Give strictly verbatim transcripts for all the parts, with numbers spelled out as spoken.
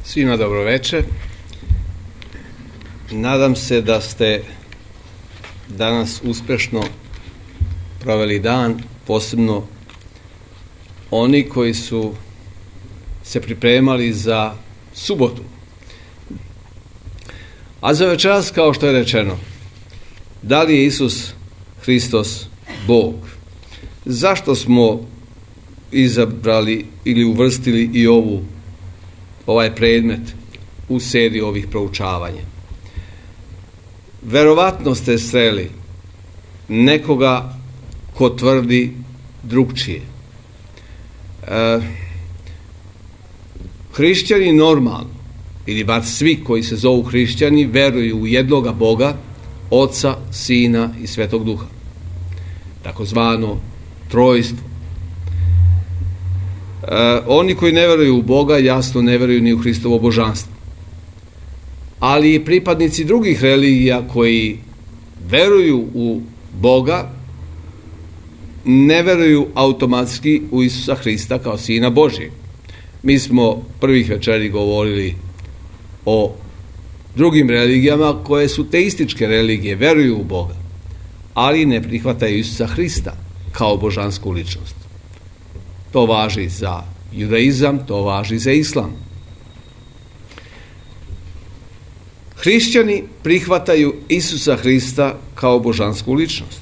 Svima dobro večer. Nadam se da ste danas uspešno proveli dan, posebno oni koji su se pripremali za subotu. A za večeras, kao što je rečeno, da li je Isus Hristos Bog? Zašto smo izabrali ili uvrstili i ovu ovaj predmet u seriji ovih proučavanja? Verovatno ste sreli nekoga ko tvrdi drugčije. E, hrišćani normalno, ili bar svi koji se zovu hrišćani, veruju u jednoga Boga, Oca, Sina i Svetog Duha, takozvano trojstvo. E, oni koji ne veruju u Boga, jasno ne veruju ni u Hristovo božanstvo. Ali i pripadnici drugih religija koji veruju u Boga, ne veruju automatski u Isusa Hrista kao Sina Božijeg. Mi smo prvih večeri govorili o drugim religijama koje su teističke religije, veruju u Boga, ali ne prihvataju Isusa Hrista kao božansku ličnost. To važi za judaizam, to važi za islam. Hrišćani prihvataju Isusa Hrista kao božansku ličnost.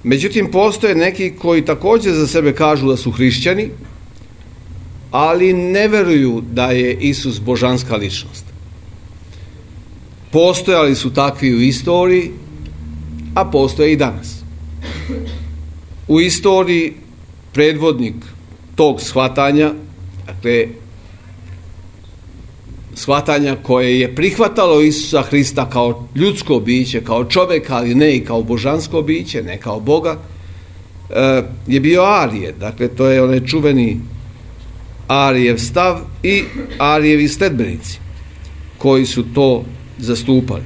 Međutim, postoje neki koji također za sebe kažu da su hrišćani, ali ne veruju da je Isus božanska ličnost. Postojali su takvi u istoriji, a postoje i danas. U istoriji predvodnik tog shvatanja, dakle, shvatanja koje je prihvatalo Isusa Hrista kao ljudsko biće, kao čovjeka, ali ne i kao božansko biće, ne kao Boga, je bio Arije. Dakle, to je onaj čuveni Arijev stav i Arijevi sledbenici koji su to zastupali.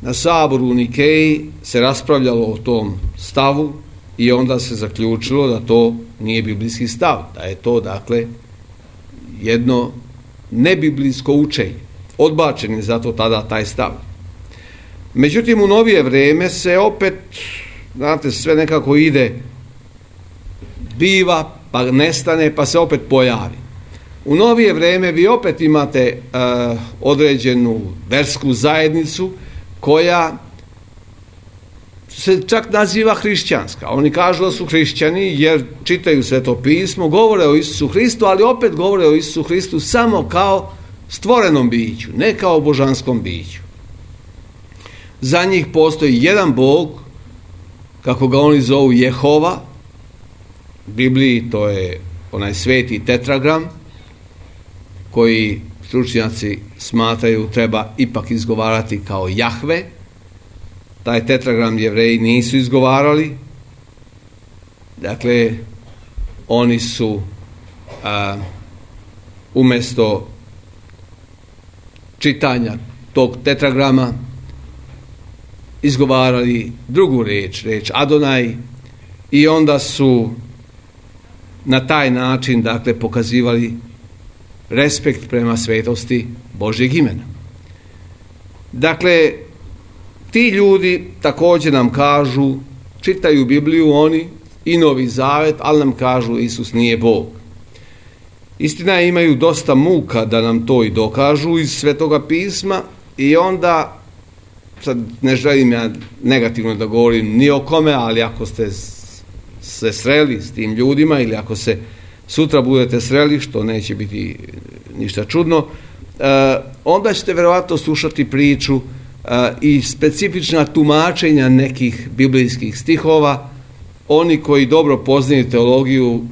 Na saboru u Nikeji se raspravljalo o tom stavu i onda se zaključilo da to nije biblijski stav, da je to, dakle, jedno nebiblijsko učenje. Odbačen je zato tada taj stav. Međutim, u novije vrijeme se opet, znate, sve nekako ide, biva, pa nestane, pa se opet pojavi. U novije vrijeme vi opet imate uh, određenu versku zajednicu koja se čak naziva hrišćanska. Oni kažu da su hrišćani jer čitaju Sveto pismo, govore o Isusu Hristu, ali opet govore o Isusu Hristu samo kao stvorenom biću, ne kao božanskom biću. Za njih postoji jedan Bog, kako ga oni zovu Jehova. U Bibliji to je onaj sveti tetragram koji stručnjaci smatraju treba ipak izgovarati kao Jahve. Taj tetragram Jevreji nisu izgovarali. Dakle, oni su a, umjesto čitanja tog tetragrama izgovarali drugu riječ, riječ Adonaj, i onda su na taj način, dakle, pokazivali respekt prema svetosti Božjeg imena. Dakle, ti ljudi također nam kažu, čitaju Bibliju oni i Novi Zavet, ali nam kažu Isus nije Bog. Istina, imaju dosta muka da nam to i dokažu iz Svetoga pisma i onda, sad ne želim ja negativno da govorim ni o kome, ali ako ste se sreli s tim ljudima ili ako se sutra budete sreli, što neće biti ništa čudno, onda ćete verovatno slušati priču i specifična tumačenja nekih biblijskih stihova. Oni koji dobro poznaju teologiju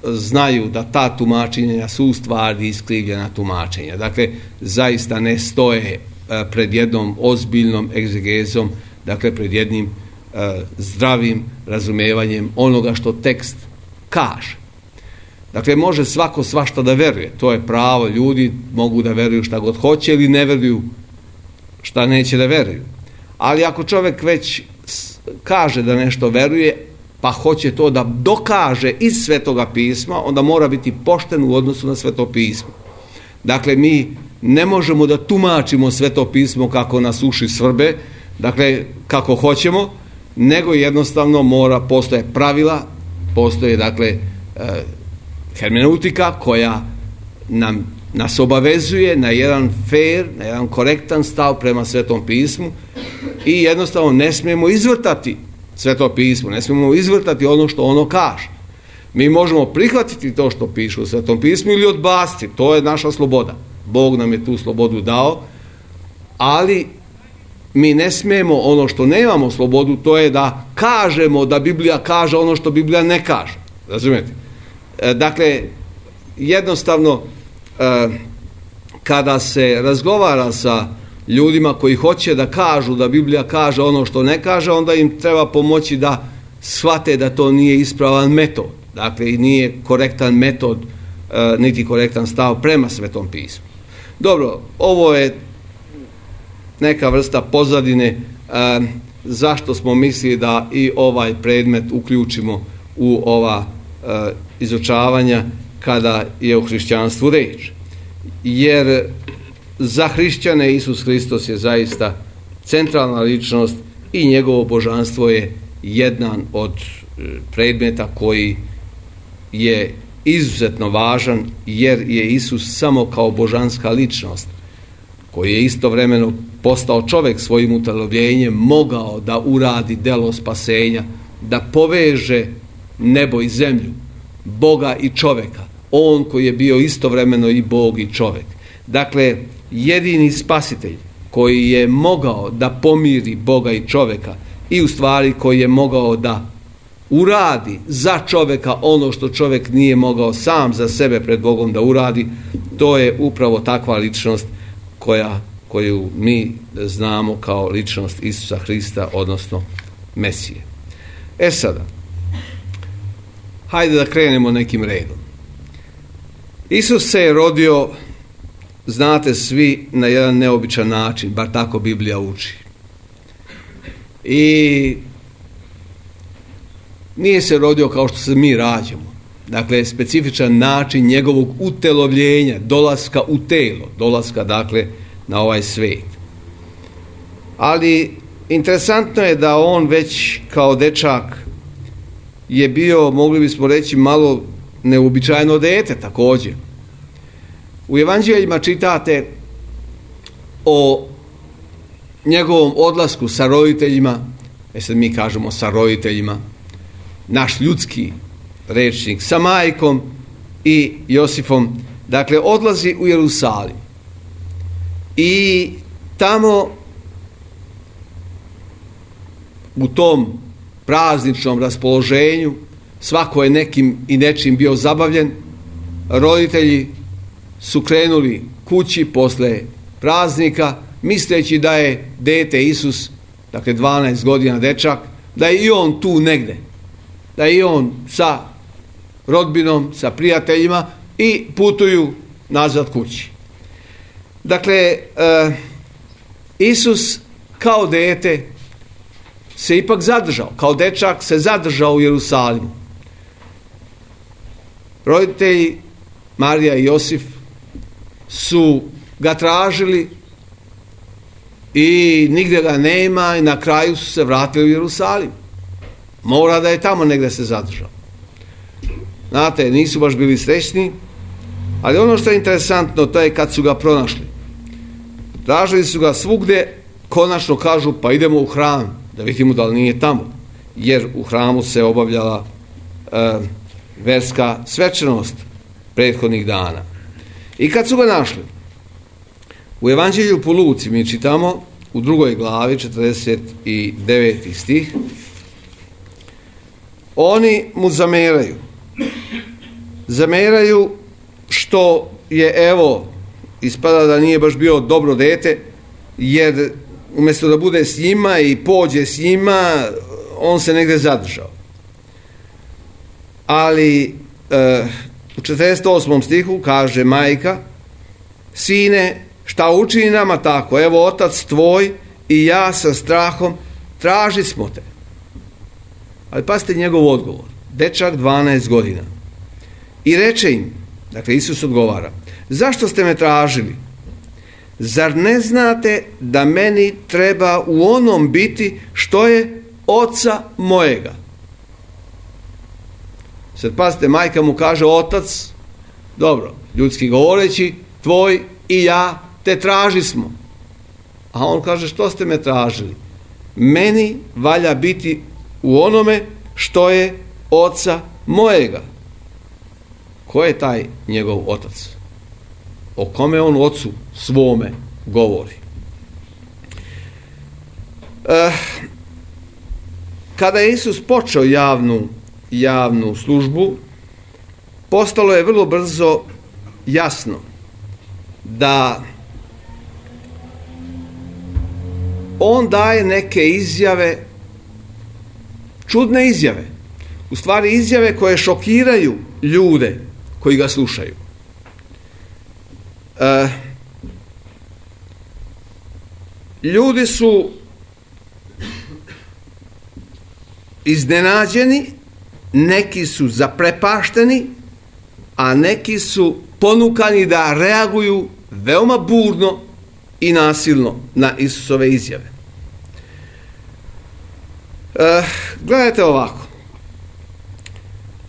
znaju da ta tumačenja su u stvari iskrivljena tumačenja. Dakle, zaista ne stoje pred jednom ozbiljnom egzegezom, dakle pred jednim zdravim razumevanjem onoga što tekst kaže. Dakle, može svako svašta da veruje, to je pravo, ljudi mogu da veruju šta god hoće ili ne veruju šta neće da veruju. Ali ako čovjek već kaže da nešto veruje, pa hoće to da dokaže iz Svetoga pisma, onda mora biti pošten u odnosu na Sveto pismo. Dakle, mi ne možemo da tumačimo Sveto pismo kako nas uši svrbe, dakle, kako hoćemo, nego jednostavno mora, postoje pravila, postoje, dakle, e, hermeneutika koja nam, nas obavezuje na jedan fair, na jedan korektan stav prema Svetom pismu i jednostavno ne smijemo izvrtati Sveto pismo, ne smijemo izvrtati ono što ono kaže. Mi možemo prihvatiti to što piše u Svetom pismu ili odbaciti, to je naša sloboda. Bog nam je tu slobodu dao, ali mi ne smijemo ono što nemamo slobodu, to je da kažemo da Biblija kaže ono što Biblija ne kaže. Razumijete? E, dakle, jednostavno, e, kada se razgovara sa ljudima koji hoće da kažu da Biblija kaže ono što ne kaže, onda im treba pomoći da shvate da to nije ispravan metod. Dakle, i nije korektan metod, e, niti korektan stav prema Svetom pismu. Dobro, ovo je neka vrsta pozadine e, zašto smo mislili da i ovaj predmet uključimo u ova e, izučavanja kada je o hrišćanstvu reč. Jer za hrišćane Isus Hristos je zaista centralna ličnost i njegovo božanstvo je jedan od predmeta koji je izuzetno važan, jer je Isus samo kao božanska ličnost, koji je istovremeno postao čovjek svojim utjelovljenjem, mogao da uradi delo spasenja, da poveže nebo i zemlju, Boga i čovjeka. On koji je bio istovremeno i Bog i čovjek. Dakle, jedini spasitelj koji je mogao da pomiri Boga i čovjeka i u stvari koji je mogao da uradi za čovjeka ono što čovjek nije mogao sam za sebe pred Bogom da uradi, to je upravo takva ličnost koja, koju mi znamo kao ličnost Isusa Hrista, odnosno Mesije. E sada, hajde da krenemo nekim redom. Isus se je rodio, znate svi, na jedan neobičan način, bar tako Biblija uči. I nije se rodio kao što se mi rađamo. Dakle, specifičan način njegovog utelovljenja, dolaska u telo, dolaska, dakle, na ovaj svijet. Ali interesantno je da on već kao dečak je bio, mogli bismo reći, malo neuobičajeno dete također. U evanđeljima čitate o njegovom odlasku sa roditeljima, e sad mi kažemo sa roditeljima, naš ljudski rečnik, sa majkom i Josifom, dakle odlazi u Jerusalim i tamo u tom prazničnom raspoloženju svako je nekim i nečim bio zabavljen. Roditelji su krenuli kući posle praznika misleći da je dete Isus, dakle dvanaest godina dečak, da je i on tu negde, da je i on sa rodbinom, sa prijateljima i putuju nazad kući. Dakle, e, Isus kao dete se ipak zadržao, kao dečak se zadržao u Jerusalimu. Roditelji Marija i Josif su ga tražili i nigdje ga nema i na kraju su se vratili u Jerusalim. Mora da je tamo negdje se zadržao. Znate, nisu baš bili srećni, ali ono što je interesantno, to je kad su ga pronašli. Tražili su ga svugdje, konačno kažu pa idemo u hram da vidimo da li nije tamo, jer u hramu se obavljala e, verska svečanost prethodnih dana. I kad su ga našli, u Evanđelju po Luci mi čitamo u drugoj glavi, četrdeset deveti stih, oni mu zameraju. Zameraju što je, evo, ispada da nije baš bio dobro dete, jer umjesto da bude s njima i pođe s njima, on se negdje zadržao. Ali e, u četrdeset osmom stihu kaže majka: sine, šta učini nama tako? Evo, otac tvoj i ja sa strahom traži smo te. Ali pazite njegov odgovor. Dečak dvanaest godina. I reče im, dakle Isus odgovara, zašto ste me tražili? Zar ne znate da meni treba u onom biti što je oca mojega? Sad pazite, majka mu kaže, otac, dobro, ljudski govoreći, tvoj i ja te traži smo. A on kaže, što ste me tražili? Meni valja biti u onome što je oca mojega. Ko je taj njegov otac? O kome on ocu svome govori? E, kada je Isus počeo javnu, javnu službu, postalo je vrlo brzo jasno da on daje neke izjave, čudne izjave, u stvari izjave koje šokiraju ljude koji ga slušaju. E, ljudi su iznenađeni, neki su zaprepašteni, a neki su ponukani da reaguju veoma burno i nasilno na Isusove izjave. E, gledajte ovako.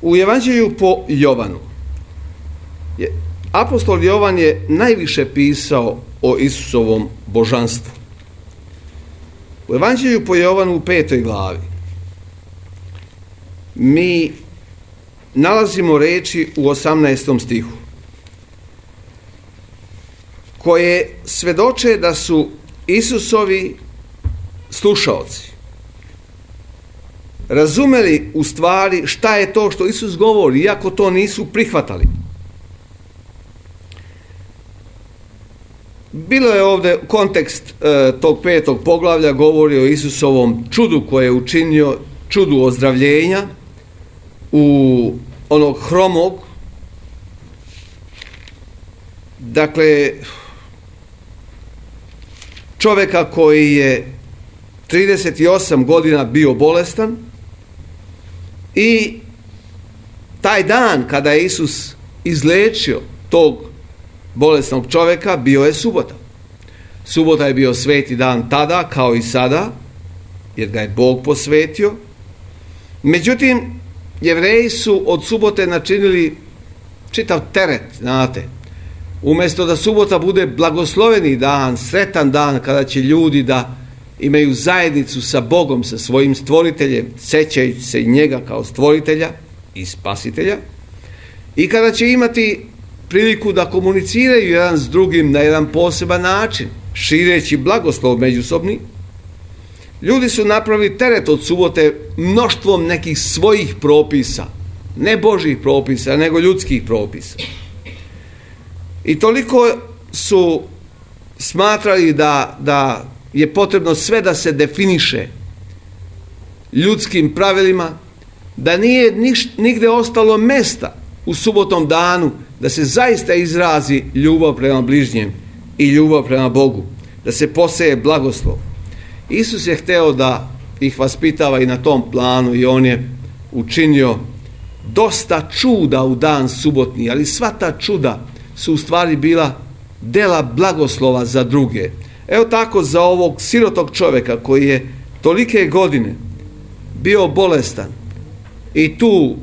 U Evanđelju po Jovanu je, apostol Jovan je najviše pisao o Isusovom božanstvu. U Evanđelju po Jovanu u petoj glavi mi nalazimo reči u osamnaestom stihu koje svedoče da su Isusovi slušaoci razumeli u stvari šta je to što Isus govori, iako to nisu prihvatali. Bilo je ovdje kontekst e, tog petog poglavlja, govori o Isusovom čudu koje je učinio, čudu ozdravljenja u onog hromog. Dakle, čovjeka koji je trideset osam godina bio bolestan i taj dan kada je Isus izlečio tog bolesnog čovjeka bio je subota. Subota je bio sveti dan tada kao i sada, jer ga je Bog posvetio. Međutim, Jevreji su od subote načinili čitav teret, znate. Umjesto da subota bude blagosloveni dan, sretan dan kada će ljudi da imaju zajednicu sa Bogom, sa svojim stvoriteljem, sećajući se njega kao stvoritelja i spasitelja, i kada će imati priliku da komuniciraju jedan s drugim na jedan poseban način, šireći blagoslov međusobni, ljudi su napravili teret od subote mnoštvom nekih svojih propisa, ne Božjih propisa, nego ljudskih propisa. I toliko su smatrali da, da je potrebno sve da se definiše ljudskim pravilima, da nije niš, nigde ostalo mesta u subotnom danu da se zaista izrazi ljubav prema bližnjem i ljubav prema Bogu, da se poseje blagoslov. Isus je hteo da ih vaspitava i na tom planu i on je učinio dosta čuda u dan subotni, ali sva ta čuda su u stvari bila dela blagoslova za druge. Evo tako za ovog sirotog čovjeka koji je tolike godine bio bolestan i tu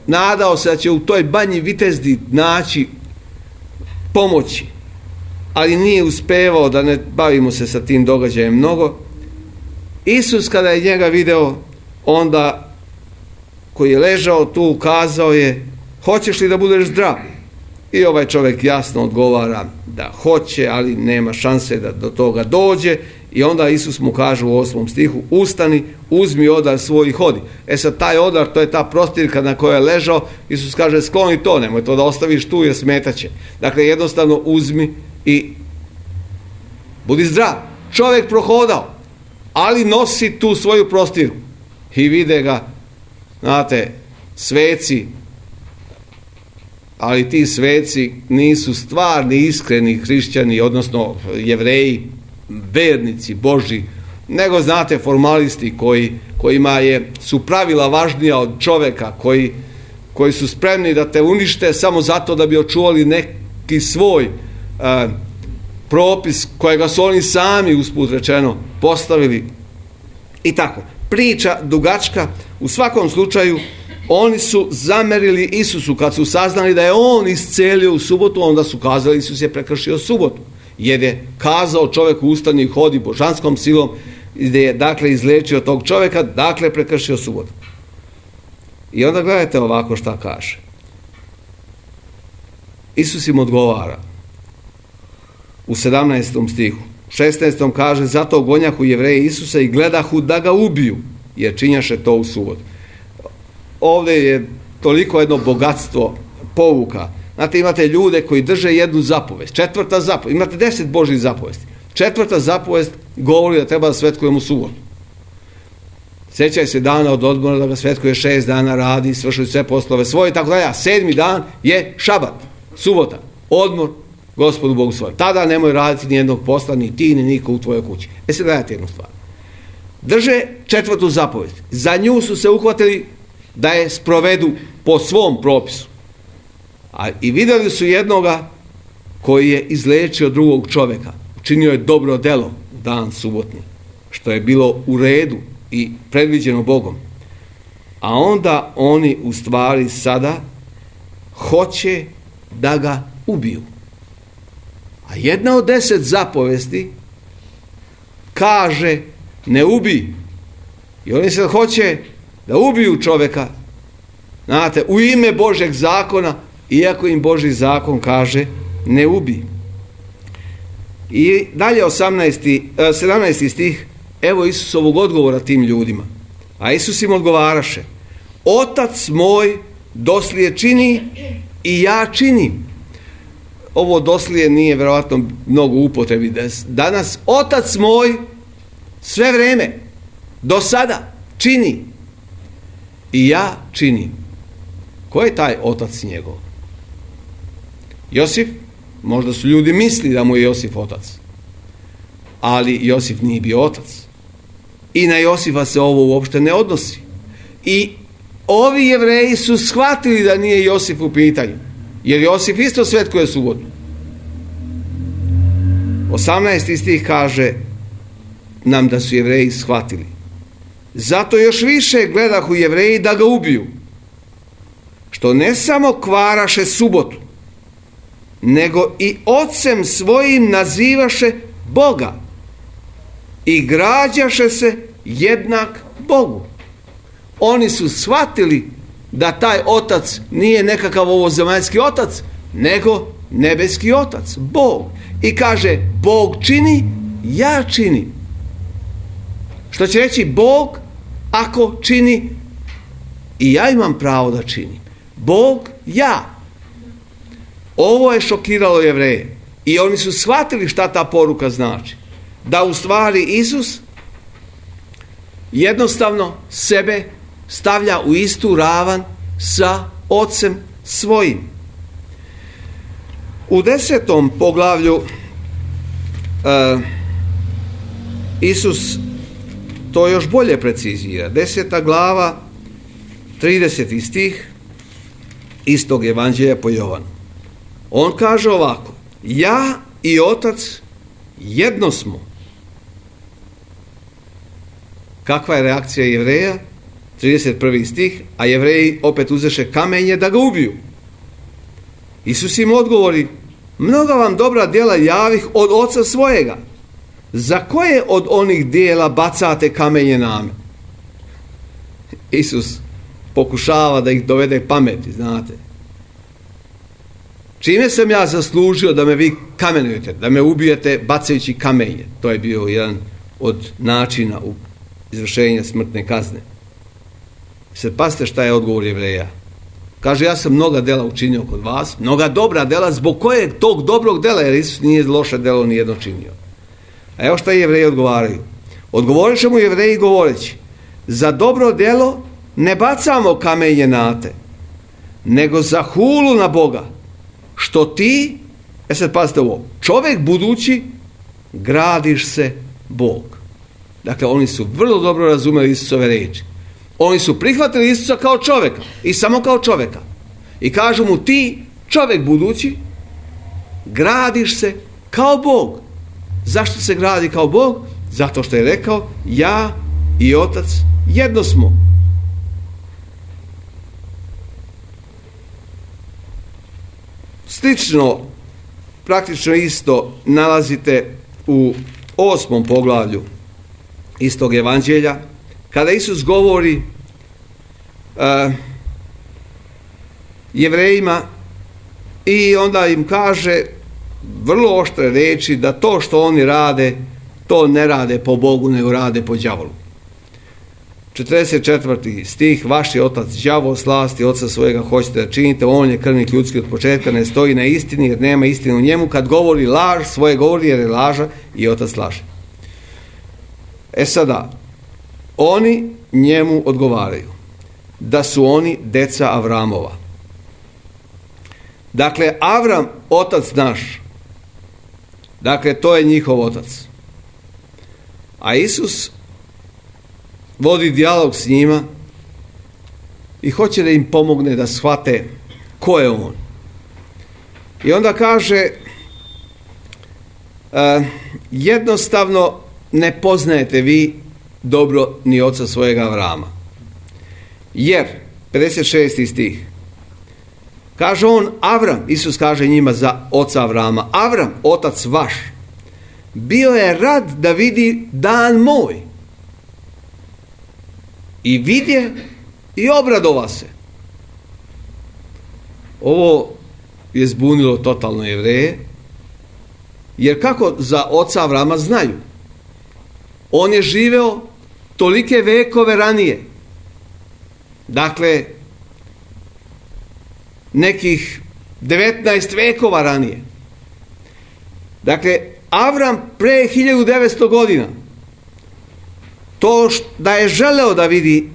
nadao se da će u toj banji Vitezdi naći pomoći, ali nije uspevao, da ne bavimo se sa tim događajem mnogo. Isus kada je njega video, onda koji je ležao tu, kazao je, hoćeš li da budeš zdrav? I ovaj čovjek jasno odgovara da hoće, ali nema šanse da do toga dođe. I onda Isus mu kaže u osmom stihu, ustani, uzmi odar svoj i hodi. E sad taj odar, to je ta prostirka na kojoj je ležao. Isus kaže, skloni to, nemoj to da ostaviš tu jer smetaće. Dakle, jednostavno uzmi i budi zdrav. Čovjek prohodao, ali nosi tu svoju prostirku. I vide ga, znate, sveci, ali ti sveci nisu stvarni, iskreni hrišćani, odnosno Jevreji, vernici Božji, nego, znate, formalisti koji, kojima je, su pravila važnija od čoveka, koji, koji su spremni da te unište samo zato da bi očuvali neki svoj e, propis kojega su oni sami, usput rečeno, postavili. I tako, priča dugačka. U svakom slučaju, oni su zamerili Isusu kad su saznali da je on iscelio u subotu, onda su kazali Isus je prekršio subotu, jer je kazao čovjeku ustani i hodi božanskom silom, gdje je dakle izlečio tog čovjeka, dakle prekršio subotu. I onda gledajte ovako šta kaže. Isus im odgovara u sedamnaestom stihu. U šesnaestom kaže, zato gonjahu Jevreji Isusa i gledahu da ga ubiju, jer činjaše to u subotu. Ovdje je toliko jedno bogatstvo pouka. Znate, imate ljude koji drže jednu zapovest. Četvrta zapovest. Imate deset Božjih zapovesti. Četvrta zapovest govori da treba da svetkujemo subotu. Sjećaj se dana od odmora da ga svetkuje šest dana, radi, svršuju sve poslove svoje i tako dalje. A sedmi dan je šabat, subota, odmor Gospodu Bogu svojem. Tada nemoj raditi ni jednog posla, ni ti, ni niko u tvojoj kući. E se gledajte jednu stvar. Drže četvrtu zapovest. Za nju su se uhvatili da je sprovedu po svom propisu. A i vidjeli su jednoga koji je izlečio drugog čovjeka. Učinio je dobro delo dan subotni, što je bilo u redu i predviđeno Bogom. A onda oni u stvari sada hoće da ga ubiju. A jedna od deset zapovesti kaže ne ubij. I oni se hoće da ubiju čovjeka, znate, u ime Božeg zakona, iako im Božji zakon kaže ne ubij. I dalje osamnaesti, sedamnaesti stih, evo Isusovog odgovora tim ljudima. A Isus im odgovaraše, Otac moj doslije čini i ja činim. Ovo doslije nije vjerojatno mnogo upotrebi danas. Otac moj sve vrijeme, do sada, čini i ja činim. Ko je taj otac njegov? Josif? Možda su ljudi mislili da mu je Josif otac. Ali Josif nije bio otac. I na Josifa se ovo uopšte ne odnosi. I ovi Jevreji su shvatili da nije Josif u pitanju. Jer Josif isto svetkuje subotu. osamnaesti stih kaže nam da su Jevreji shvatili. Zato još više gledahu Jevreji da ga ubiju. Što ne samo kvaraše subotu, nego i ocem svojim nazivaše Boga i građaše se jednak Bogu. Oni su shvatili da taj otac nije nekakav ovozemaljski otac, nego nebeski otac, Bog. I kaže, Bog čini, ja činim. Što će reći Bog ako čini i ja imam pravo da činim. Bog, ja. Ovo je šokiralo Jevreje. I oni su shvatili šta ta poruka znači. Da u stvari Isus jednostavno sebe stavlja u istu ravan sa Ocem svojim. U desetom poglavlju uh, Isus to još bolje precizira. Deseta glava, trideseti stih istog evanđelja po Jovanu. On kaže ovako, ja i Otac jedno smo. Kakva je reakcija Jevreja? trideset prvi stih, a Jevreji opet uzeše kamenje da ga ubiju. Isus im odgovori, mnoga vam dobra djela javih od Oca svojega. Za koje od onih djela bacate kamenje na me? Isus pokušava da ih dovede pameti, znate. Čime sam ja zaslužio da me vi kamenujete, da me ubijete bacajući kamenje? To je bio jedan od načina u izvršenja smrtne kazne. Sad pazite šta je odgovor Jevreja. Kaže, ja sam mnoga dela učinio kod vas, mnoga dobra dela, zbog kojeg tog dobrog dela, jer Isus nije loše delo nijedno činio. A evo šta Jevreji odgovaraju. Odgovorit će mu Jevreji govoreći, za dobro delo ne bacamo kamenje na te, nego za hulu na Boga, što ti, e sad pazite ovo, čovjek budući, gradiš se Bog. Dakle, oni su vrlo dobro razumeli Isusove riječi. Oni su prihvatili Isusa kao čovjeka i samo kao čovjeka. I kažu mu, ti, čovjek budući, gradiš se kao Bog. Zašto se gradi kao Bog? Zato što je rekao, ja i Otac jedno smo. Slično, praktično isto nalazite u osmom poglavlju istog evanđelja, kada Isus govori uh, Jevrejima i onda im kaže vrlo oštre riječi da to što oni rade, to ne rade po Bogu, nego rade po đavolu. četrdeset četvrti stih, vaš je otac đavol, slasti oca svojega hoćete da činite, on je krvnik ljudski od početka, ne stoji na istini jer nema istine u njemu, kad govori laž, svoje govori jer je laža i otac laže. E sada, oni njemu odgovaraju da su oni deca Avramova. Dakle, Avram, otac naš, dakle, to je njihov otac. A Isus vodi dijalog s njima i hoće da im pomogne da shvate ko je on. I onda kaže, uh, jednostavno ne poznajete vi dobro ni oca svojega Avrama. Jer, pedeset šesti stih, kaže on, Avram, Isus kaže njima za oca Avrama, Avram, otac vaš, bio je rad da vidi dan moj. I vidje i obradova se. Ovo je zbunilo totalno Jevreje, jer kako za oca Avrama znaju? On je živeo tolike vekove ranije. Dakle, nekih devetnaest vekova ranije. Dakle, Avram pre hiljadu devetsto godina, to da je želeo da vidi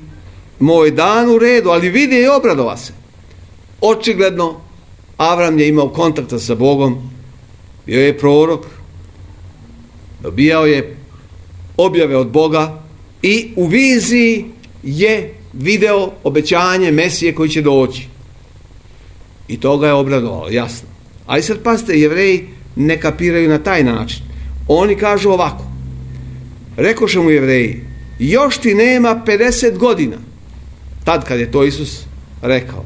moj dan u redu, ali vidi i obradova se. Očigledno, Avram je imao kontakta sa Bogom, bio je prorok, dobijao je objave od Boga i u viziji je video obećanje Mesije koji će doći. I to ga je obradovalo, jasno. Ali sad pazite, Jevreji ne kapiraju na taj način. Oni kažu ovako, rekoše mu Jevreji, još ti nema pedeset godina, tad kad je to Isus rekao.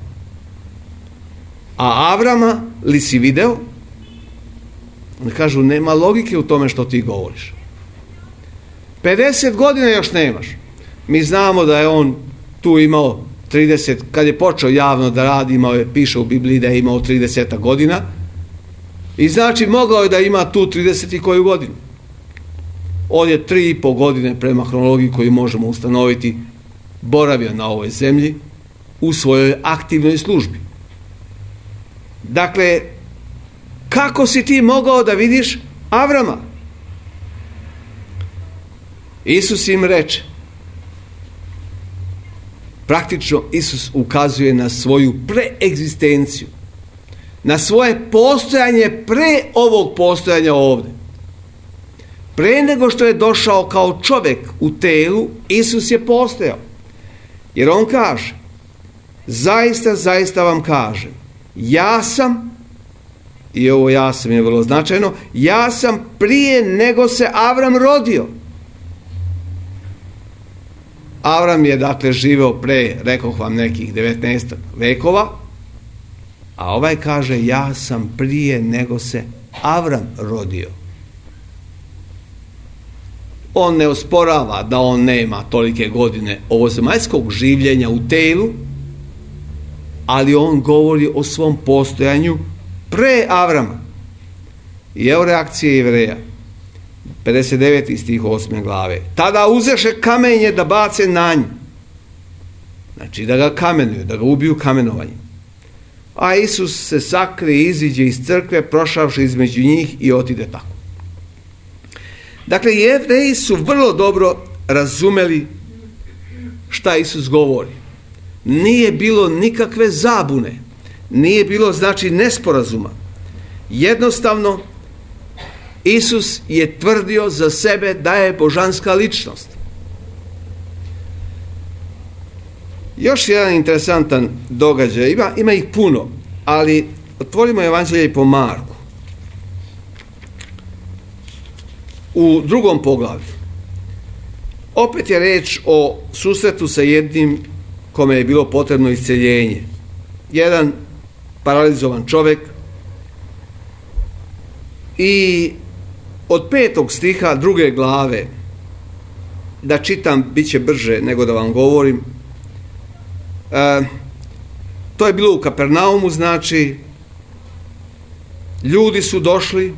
A Avrama li si video? Oni kažu, nema logike u tome što ti govoriš. pedeset godina još nemaš. Mi znamo da je on tu imao trideset, kad je počeo javno da radi, imao je, piše u Bibliji da je imao trideset godina, i znači mogao je da ima tu trideset i koju godinu. On je tri i po godine prema hronologiji koju možemo ustanoviti boravio na ovoj zemlji u svojoj aktivnoj službi. Dakle, kako si ti mogao da vidiš Avrama? Isus im reče, praktično Isus ukazuje na svoju preegzistenciju, na svoje postojanje pre ovog postojanja ovdje. Pre nego što je došao kao čovjek u telu, Isus je postojao. Jer on kaže, zaista, zaista vam kažem, ja sam, i ovo ja sam je vrlo značajno, ja sam prije nego se Avram rodio. Avram je dakle živeo pre, rekoh vam, nekih devetnaest vekova, a ovaj kaže, ja sam prije nego se Avram rodio. On ne osporava da on nema tolike godine ovozemaljskog življenja u telu, ali on govori o svom postojanju pre Avrama. I evo reakcije Jevreja. pedeset deveti stih osme glave. Tada uzeše kamenje da bace na nju. Znači da ga kamenuju, da ga ubiju kamenovanjem. A Isus se sakrije, iziđe iz crkve, prošavši između njih i otide tako. Dakle, Jevreji su vrlo dobro razumeli šta Isus govori. Nije bilo nikakve zabune, nije bilo, znači, nesporazuma. Jednostavno, Isus je tvrdio za sebe da je božanska ličnost. Još jedan interesantan događaj, ima, ima ih puno, ali otvorimo Evanđelje po Marku. U drugom poglavlju. Opet je reč o susretu sa jednim kome je bilo potrebno isceljenje. Jedan paralizovan čovjek i od petog stiha druge glave, da čitam bit će brže nego da vam govorim, e, to je bilo u Kapernaumu, znači ljudi su došli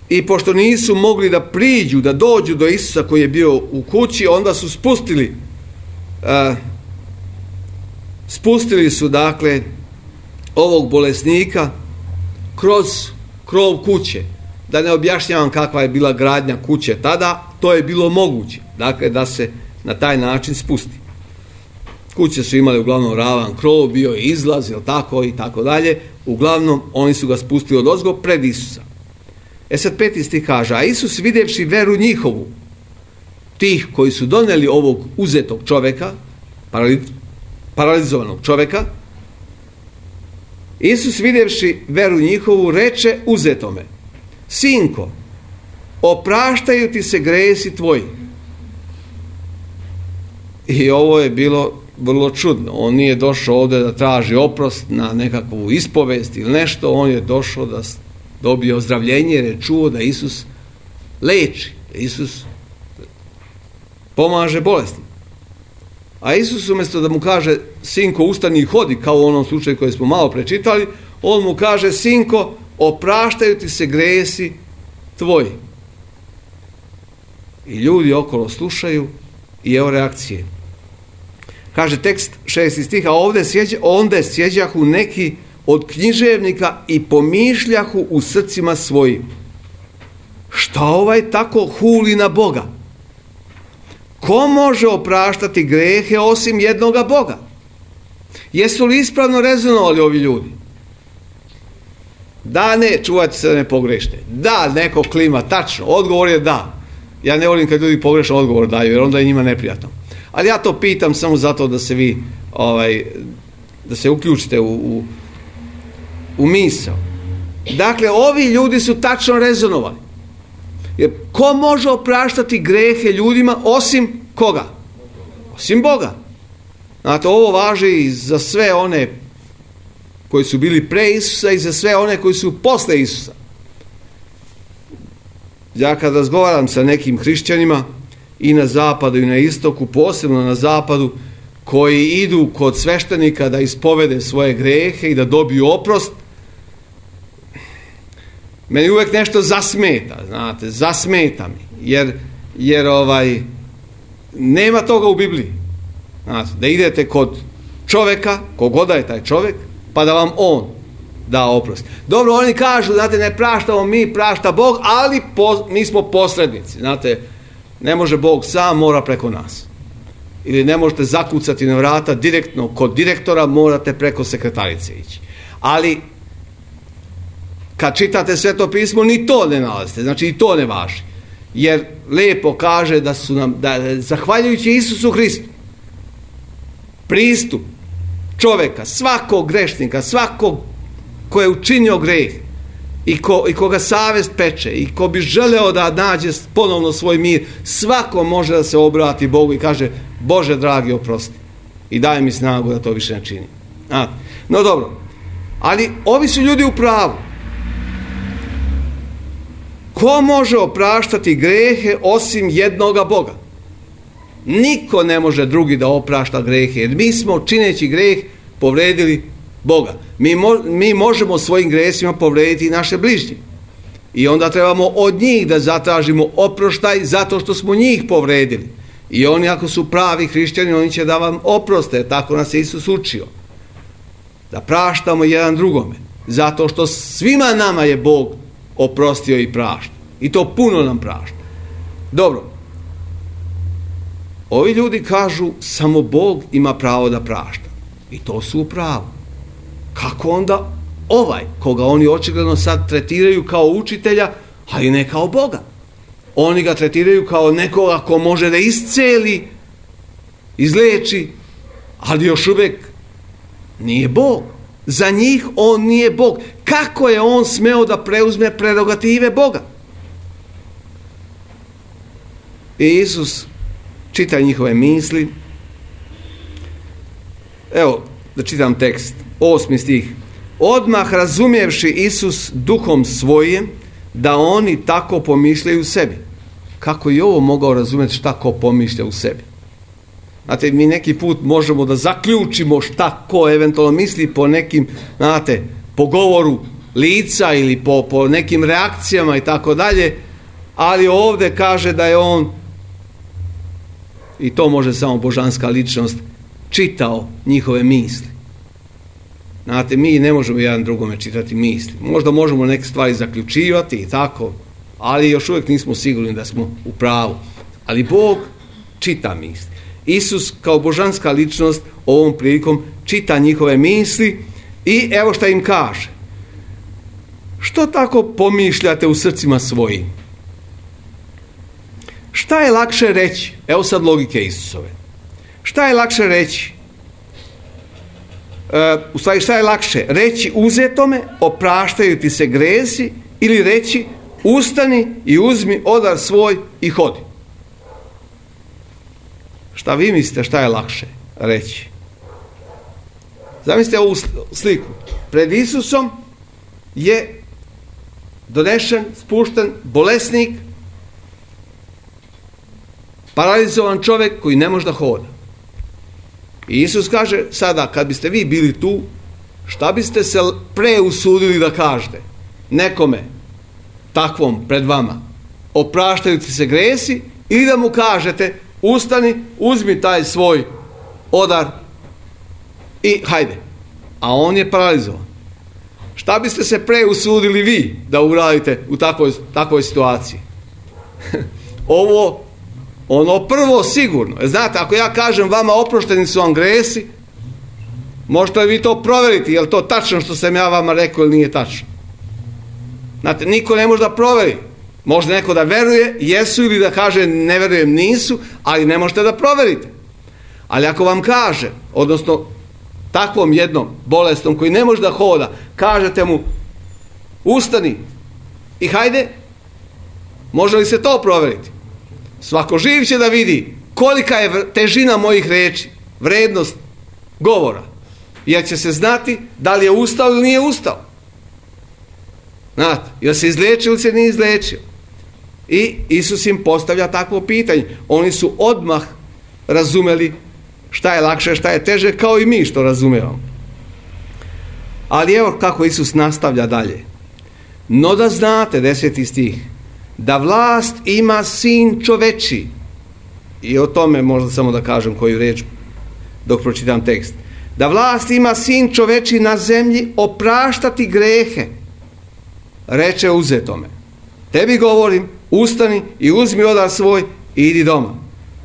i pošto nisu mogli da priđu, da dođu do Isusa koji je bio u kući, onda su spustili e, spustili su dakle ovog bolesnika kroz krov kuće. Da ne objašnjavam kakva je bila gradnja kuće tada, to je bilo moguće, dakle da se na taj način spusti. Kuće su imali uglavnom ravan krov, bio je izlaz, jel tako, i tako dalje. Uglavnom, oni su ga spustili odozgo pred Isusa. E sad peti stih kaže, a Isus vidjevši veru njihovu, tih koji su doneli ovog uzetog čovjeka, paralizovanog čovjeka, Isus vidjevši veru njihovu, reče uzetome, sinko, opraštaju ti se gresi tvoji. I ovo je bilo vrlo čudno. On nije došao ovdje da traži oprost na nekakvu ispovest ili nešto, on je došao da dobije ozdravljenje jer je čuo da Isus leči, da Isus pomaže bolesnim. A Isus umjesto da mu kaže sinko ustani i hodi, kao u onom slučaju koji smo malo prečitali, on mu kaže sinko, opraštaju ti se gresi tvoji. I ljudi okolo slušaju i evo reakcije. Kaže tekst šesti stih, a ovdje sjeđa, onda sjeđahu neki od književnika i pomišljahu u srcima svojim. Šta ovaj tako huli na Boga? Ko može opraštati grehe osim jednoga Boga? Jesu li ispravno rezonovali ovi ljudi? Da, ne, čuvajte se da ne pogrešite. Da, neko klima, tačno, odgovor je da. Ja ne volim kad ljudi pogrešno odgovor daju, jer onda je njima neprijatno. Ali ja to pitam samo zato da se vi, ovaj, da se uključite u, u, u misao. Dakle, ovi ljudi su tačno rezonovali. Jer ko može opraštati grehe ljudima osim koga? Osim Boga. Znate, ovo važi i za sve one koji su bili pre Isusa i za sve one koji su posle Isusa. Ja kad razgovaram sa nekim hrišćanima i na zapadu i na istoku, posebno na zapadu, koji idu kod sveštenika da ispovede svoje grehe i da dobiju oprost, meni uvijek nešto zasmeta, znate, zasmeta mi, jer, jer ovaj, nema toga u Bibliji. Znate, da idete kod čovjeka, kogoda je taj čovjek, pa da vam on da oprost. Dobro, oni kažu, znate, ne praštamo mi, prašta Bog, ali po, mi smo posrednici, znate, ne može Bog sam, mora preko nas. Ili ne možete zakucati na vrata direktno kod direktora, morate preko sekretarice ići. Ali kad čitate Sveto pismo, ni to ne nalazite, znači i to ne važi. Jer lijepo kaže da su nam, da zahvaljujući Isusu Hristu, pristup čovjeka, svakog grešnika, svakog ko je učinio greh i, ko, i koga savjest peče i ko bi želeo da nađe ponovno svoj mir, svako može da se obrati Bogu i kaže Bože dragi oprosti i daj mi snagu da to više ne činim. A, no dobro, ali ovi su ljudi u pravu. Ko može opraštati grehe osim jednoga Boga? Niko ne može drugi da oprašta grehe, jer mi smo čineći greh povredili Boga. Mi, mo, mi možemo svojim gresima povrediti i naše bližnje. I onda trebamo od njih da zatražimo oproštaj zato što smo njih povredili. I oni ako su pravi hrišćani, oni će da vam oproste, tako nas je Isus učio. Da praštamo jedan drugome, zato što svima nama je Bog oprostio i prašta. I to puno nam prašta. Dobro. Ovi ljudi kažu samo Bog ima pravo da prašta. I to su u pravu. Kako onda ovaj, koga oni očigledno sad tretiraju kao učitelja, ali ne kao Boga. Oni ga tretiraju kao nekoga ko može da isceli, izleči, ali još uvijek nije Bog. Za njih on nije Bog. Kako je on smeo da preuzme prerogative Boga? I Isus čita njihove misli. Evo, da čitam tekst. Osmi stih. Odmah razumjevši Isus duhom svojim da oni tako pomišljaju u sebi. Kako je ovo mogao razumjeti šta ko pomišlja u sebi? Znate, mi neki put možemo da zaključimo šta ko eventualno misli po nekim, znate, po govoru lica ili po, po nekim reakcijama i tako dalje, ali ovdje kaže da je on, i to može samo božanska ličnost, čitao njihove misli. Znate, mi ne možemo jedan drugome čitati misli. Možda možemo neke stvari zaključivati i tako, ali još uvijek nismo sigurni da smo u pravu. Ali Bog čita misli. Isus kao božanska ličnost ovom prilikom čita njihove misli i evo šta im kaže. Što tako pomišljate u srcima svojim? Šta je lakše reći? Evo sad logike Isusove. Šta je lakše reći? E, u stvari, šta je lakše? Reći uzetome, opraštaju ti se gresi, ili reći ustani i uzmi odar svoj i hodi. Šta vi mislite šta je lakše reći? Zamislite ovu sliku. Pred Isusom je donešen, spušten bolesnik, paralizovan čovjek koji ne može da hoda. I Isus kaže sada, kad biste vi bili tu, šta biste se pre usudili da kažete nekome takvom pred vama? Opraštaju ti se gresi, ili da mu kažete ustani, uzmi taj svoj odar i hajde. A on je paralizovan. Šta biste se pre usudili vi da uradite u takvoj, takvoj situaciji? Ovo, ono prvo sigurno. Znate, ako ja kažem vama oprošteni su vam gresi, možete vi to provjeriti, je li to tačno što sam ja vama rekao ili nije tačno? Znate, niko ne može da provjeri. Može neko da veruje, jesu, ili da kaže ne verujem, nisu, ali ne možete da provjerite. Ali ako vam kaže, odnosno takvom jednom bolestom koji ne može da hoda, kažete mu ustani i hajde, može li se to provjeriti? Svako živ će da vidi kolika je težina mojih reči, vrednost govora, jer će se znati da li je ustao ili nije ustao. Znate, jel se izlečio ili se nije izlečio? I Isus im postavlja takvo pitanje. Oni su odmah razumeli šta je lakše, šta je teže, kao i mi što razumijemo. Ali evo kako Isus nastavlja dalje. No da znate, deseti stih, da vlast ima sin čoveči. I o tome možda samo da kažem koju riječ dok pročitam tekst. Da vlast ima sin čoveči na zemlji opraštati grehe. Reče uzetome. Tebi govorim, ustani i uzmi odar svoj i idi doma.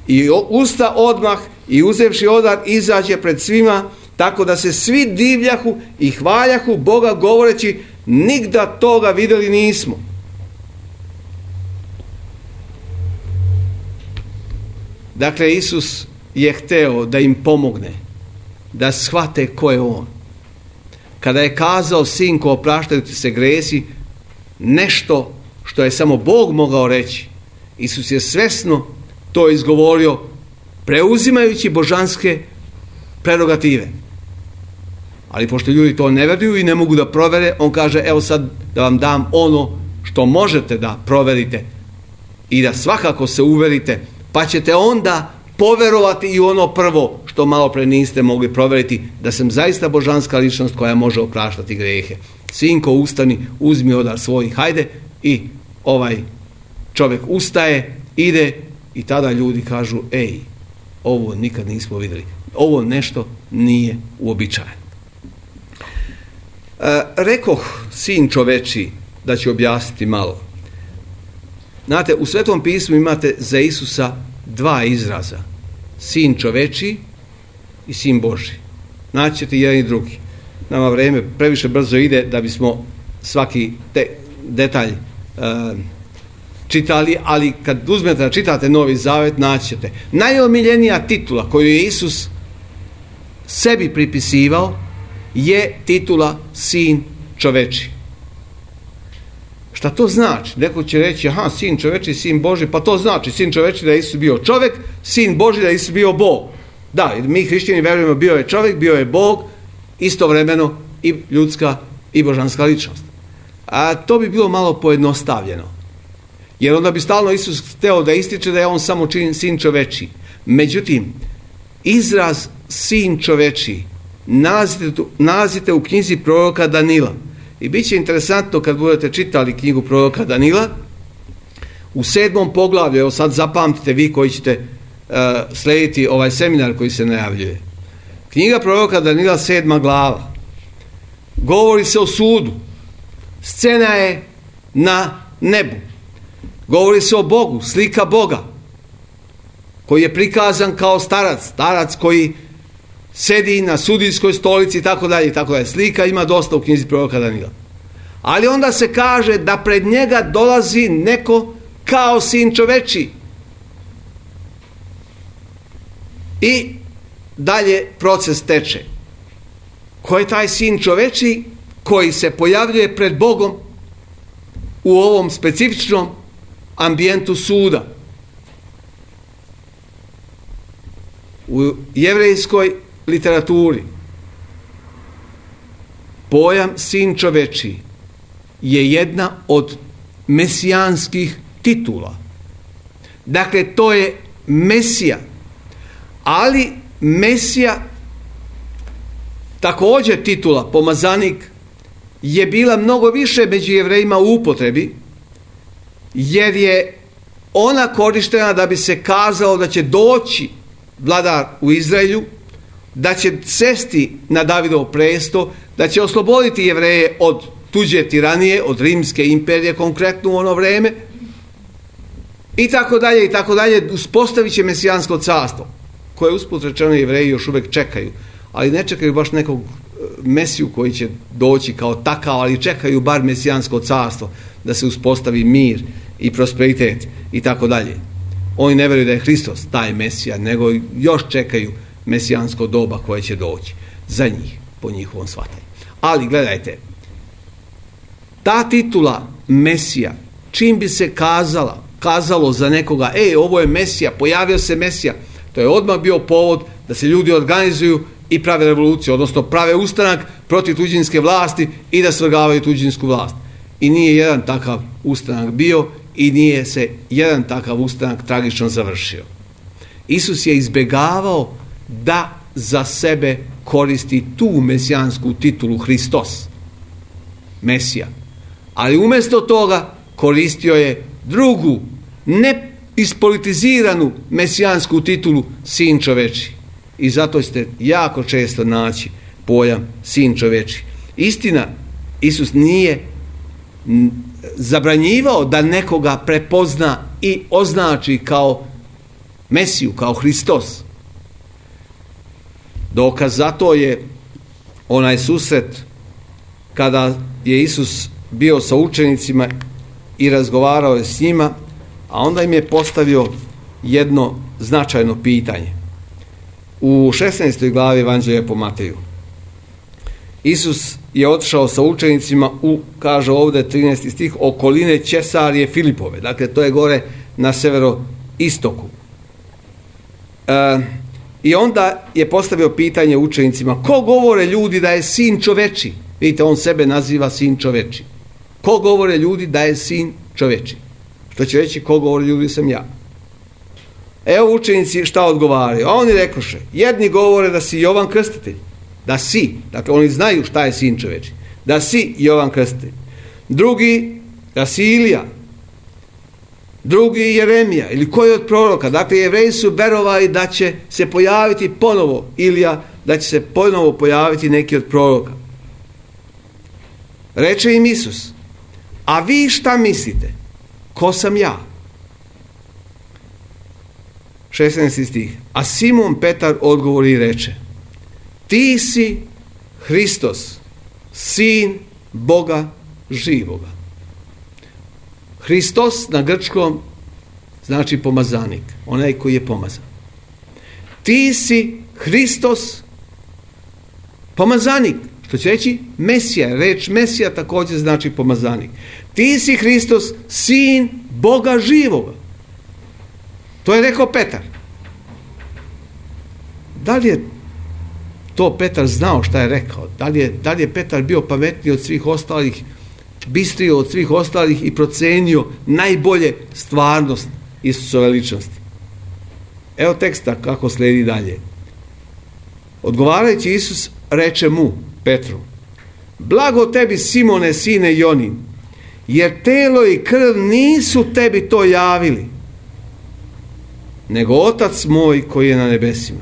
I usta odmah i uzevši odar izađe pred svima, tako da se svi divljahu i hvaljahu Boga govoreći, nigda toga vidjeli nismo. Dakle, Isus je hteo da im pomogne, da shvate ko je on. Kada je kazao sinko opraštaju ti se gresi, nešto što je samo Bog mogao reći, Isus je svesno to izgovorio, preuzimajući božanske prerogative. Ali pošto ljudi to ne veruju i ne mogu da provere, on kaže, evo sad da vam dam ono što možete da proverite i da svakako se uverite, pa ćete onda poverovati i ono prvo što malo pre niste mogli proveriti, da sam zaista božanska ličnost koja može opraštati grehe. Sinko, ustani, uzmi odar svoj, hajde, i ovaj čovjek ustaje, ide, i tada ljudi kažu, ej, ovo nikad nismo vidjeli, ovo nešto nije uobičajeno. E, rekoh sin čoveči, da ću objasniti malo. Znate, u Svetom pismu imate za Isusa dva izraza, sin čoveči i sin Boži. Naći ćete jedan i drugi. Nama vreme previše brzo ide da bismo svaki te, detalj e, čitali, ali kad uzmete da čitate Novi Zavet, naći ćete. Najomiljenija titula koju je Isus sebi pripisivao je titula Sin čoveči. Šta to znači? Neko će reći, aha, Sin čoveči, Sin Boži, pa to znači Sin čoveči da je Isus bio čovjek, Sin Boži da je Isus bio Bog. Da, mi hrišćani verujemo, bio je čovjek, bio je Bog, istovremeno i ljudska i božanska ličnost. A to bi bilo malo pojednostavljeno. Jer onda bi stalno Isus hteo da ističe da je on samo čin, Sin čoveči. Međutim, izraz Sin čoveči nalazite, nalazite u knjizi proroka Danila. I bit će interesantno kad budete čitali knjigu proroka Danila, u sedmom poglavlju, evo sad zapamtite vi koji ćete uh, slediti ovaj seminar koji se najavljuje. Knjiga proroka Danila, sedma glava. Govori se o sudu. Scena je na nebu. Govori se o Bogu, slika Boga, koji je prikazan kao starac, starac koji sedi na sudijskoj stolici i tako dalje, tako dalje. Slika ima dosta u knjizi proroka Danila. Ali onda se kaže da pred njega dolazi neko kao Sin čoveči. I dalje proces teče. Ko je taj Sin čoveči koji se pojavljuje pred Bogom u ovom specifičnom ambijentu suda? U jevrejskoj literaturi pojam Sin čoveči je jedna od mesijanskih titula. Dakle, to je Mesija. Ali Mesija, također titula pomazanik, je bila mnogo više među Jevrejima u upotrebi, jer je ona korištena da bi se kazalo da će doći vladar u Izraelju, da će sesti na Davidov presto, da će osloboditi Jevreje od tuđe tiranije, od Rimske imperije konkretno u ono vreme, i tako dalje, i tako dalje. Uspostavit će mesijansko carstvo, koje usput rečeno Jevreji još uvijek čekaju, ali ne čekaju baš nekog Mesiju koji će doći kao takav, ali čekaju bar mesijansko carstvo, da se uspostavi mir i prosperitet i tako dalje. Oni ne vjeruju da je Hristos taj Mesija, nego još čekaju mesijansko doba koje će doći za njih, po njihovom shvatanju. Ali gledajte, ta titula Mesija, čim bi se kazala, kazalo za nekoga, ej, ovo je Mesija, pojavio se Mesija, to je odmah bio povod da se ljudi organizuju i prave revoluciju, odnosno prave ustanak protiv tuđinske vlasti i da svrgavaju tuđinsku vlast. I nije jedan takav ustanak bio i nije se jedan takav ustanak tragično završio. Isus je izbjegavao da za sebe koristi tu mesijansku titulu Hristos, Mesija. Ali umjesto toga koristio je drugu, ne ispolitiziranu mesijansku titulu Sin čoveči. I zato ćete jako često naći pojam Sin čoveči. Istina, Isus nije zabranjivao da nekoga prepozna i označi kao Mesiju, kao Hristos. Dokaz za to je onaj susret kada je Isus bio sa učenicima i razgovarao je s njima, a onda im je postavio jedno značajno pitanje. U šesnaestoj glavi Evanđelja po Mateju. Isus je otišao sa učenicima u, kaže ovdje trinaesti stih, okoline Ćesarije Filipove. Dakle, to je gore na severoistoku. E, I onda je postavio pitanje učenicima, ko govore ljudi da je Sin čoveči? Vidite, on sebe naziva Sin čoveči. Ko govore ljudi da je Sin čoveči? Što će reći, ko govore ljudi sam ja. Evo učenici šta odgovaraju. A oni rekoše, jedni govore da si Jovan Krstitelj. Da si, dakle oni znaju šta je Sin čoveči. Da si Jovan Krstitelj. Drugi, da si Ilija. Drugi Jeremija ili koji od proroka. Dakle, Jevreji su verovali da će se pojaviti ponovo Ilija, da će se ponovo pojaviti neki od proroka. Reče im Isus, a vi šta mislite? Ko sam ja? šesnaesti stih. A Simon Petar odgovori i reče, ti si Hristos, Sin Boga živoga. Hristos na grčkom znači pomazanik, onaj koji je pomazan. Ti si Hristos pomazanik, što će reći Mesija. Reč Mesija također znači pomazanik. Ti si Hristos, sin Boga živoga. To je rekao Petar. Da li je to Petar znao šta je rekao? Da li je, da li je Petar bio pametniji od svih ostalih, bistriji od svih ostalih i procenio najbolje stvarnost Isusove ličnosti? Evo teksta kako slijedi dalje. Odgovarajući Isus reče mu, Petru, blago tebi Simone, sine Jonin, jer telo i krv nisu tebi to javili, nego Otac moj koji je na nebesima.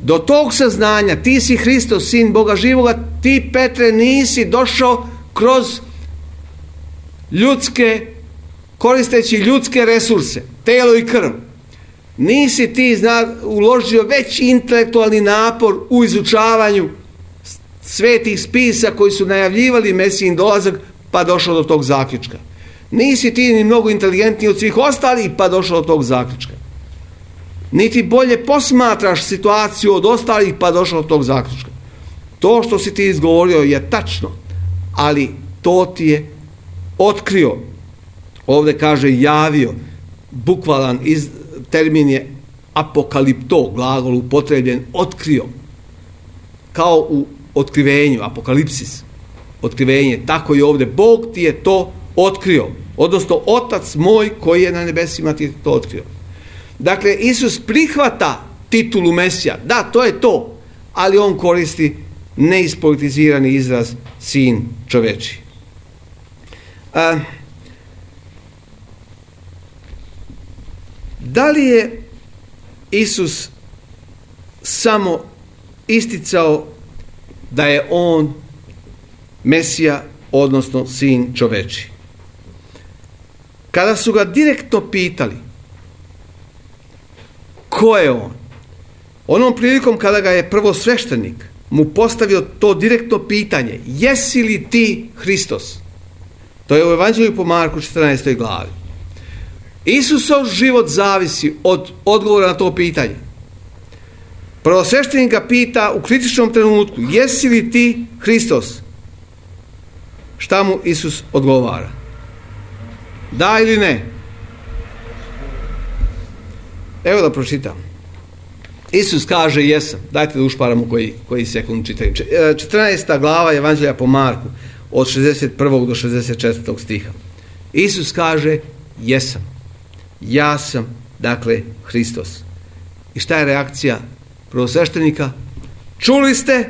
Do tog saznanja, ti si Hristos, sin Boga živoga, ti, Petre, nisi došao kroz ljudske, koristeći ljudske resurse, telo i krv. Nisi ti zna, uložio veći intelektualni napor u izučavanju svetih spisa koji su najavljivali Mesijin dolazak, pa došao do tog zaključka. Nisi ti ni mnogo inteligentniji od svih ostalih, pa došao do tog zaključka. Niti bolje posmatraš situaciju od ostalih, pa došao do tog zaključka. To što si ti izgovorio je tačno, ali to ti je otkrio. Ovdje kaže javio, bukvalan iz, termin je apokalipto, glagol upotrebljen, otkrio. Kao u otkrivenju, apokalipsis, otkrivenje, tako i ovdje. Bog ti je to otkrio, odnosno Otac moj koji je na nebesima ti je to otkrio. Dakle, Isus prihvata titulu Mesija, da, to je to, ali on koristi neispolitizirani izraz sin čoveči. A, da li je Isus samo isticao da je on Mesija, odnosno sin čoveči? Kada su ga direktno pitali ko je on, onom prilikom kada ga je prvosveštenik mu postavio to direktno pitanje, jesi li ti Hristos? To je u Evanđelju po Marku četrnaestoj glavi. Isusov život zavisi od odgovora na to pitanje. Prvosveštenik ga pita u kritičnom trenutku, jesi li ti Hristos? Šta mu Isus odgovara? Da ili ne? Evo da pročitam. Isus kaže jesam. Dajte da ušparamo koji, koji sekund čitam. četrnaesta glava Evanđelja po Marku od šezdeset prvog do šezdeset četvrtog stiha. Isus kaže jesam. Ja sam, dakle, Hristos. I šta je reakcija prvosveštenika? Čuli ste?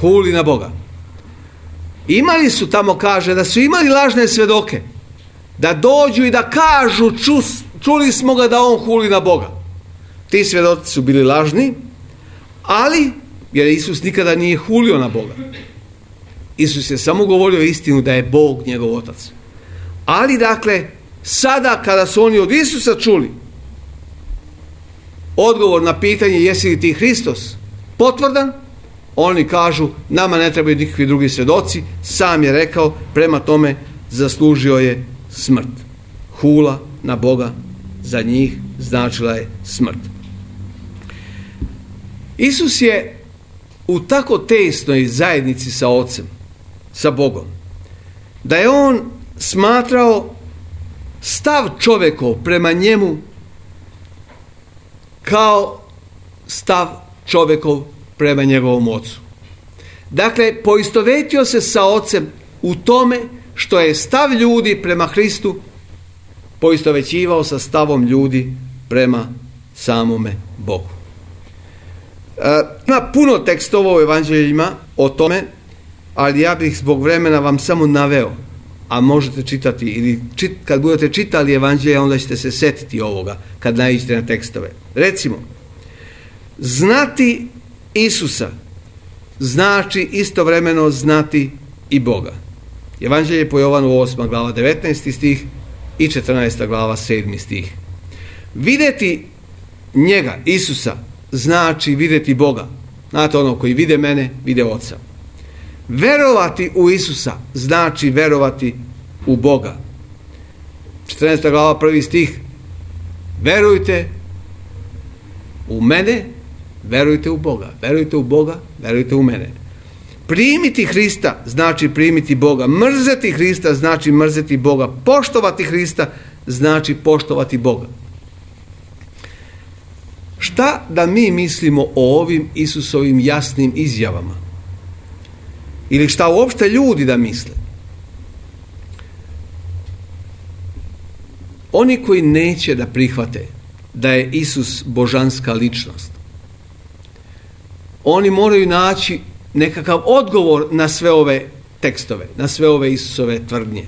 Huli na Boga. Imali su tamo, kaže, da su imali lažne svedoke, da dođu i da kažu čus, čuli smo ga da on huli na Boga. Ti svedoci su bili lažni, ali, jer Isus nikada nije hulio na Boga. Isus je samo govorio istinu da je Bog njegov Otac. Ali, dakle, sada kada su oni od Isusa čuli odgovor na pitanje jesi li ti Hristos potvrdan, oni kažu nama ne trebaju nikakvi drugi svjedoci, sam je rekao, prema tome zaslužio je smrt. Hula na Boga za njih značila je smrt. Isus je u tako tesnoj zajednici sa Ocem, sa Bogom, da je on smatrao stav čovjekov prema njemu kao stav čovjekov prema njegovom Ocu. Dakle, poistovetio se sa Ocem u tome što je stav ljudi prema Hristu poistovećivao sa stavom ljudi prema samome Bogu. E, ima puno tekstova u evanđeljima o tome, ali ja bih zbog vremena vam samo naveo, a možete čitati, ili čit, kad budete čitali evanđelje, onda ćete se setiti ovoga, kad naiđete na tekstove. Recimo, znati Isusa znači istovremeno znati i Boga. Evanđelje po Jovanu osma glava devetnaesti stih i četrnaesta glava sedmi stih. Vidjeti njega, Isusa, znači vidjeti Boga. Znate, ono koji vide mene, vide Oca. Verovati u Isusa znači verovati u Boga. četrnaesta glava, prvi stih. Verujte u mene, verujte u Boga. Verujte u Boga, verujte u mene. Primiti Hrista znači primiti Boga. Mrzeti Hrista znači mrzeti Boga. Poštovati Hrista znači poštovati Boga. Šta da mi mislimo o ovim Isusovim jasnim izjavama? Ili šta uopšte ljudi da misle? Oni koji neće da prihvate da je Isus božanska ličnost, oni moraju naći nekakav odgovor na sve ove tekstove, na sve ove Isusove tvrdnje.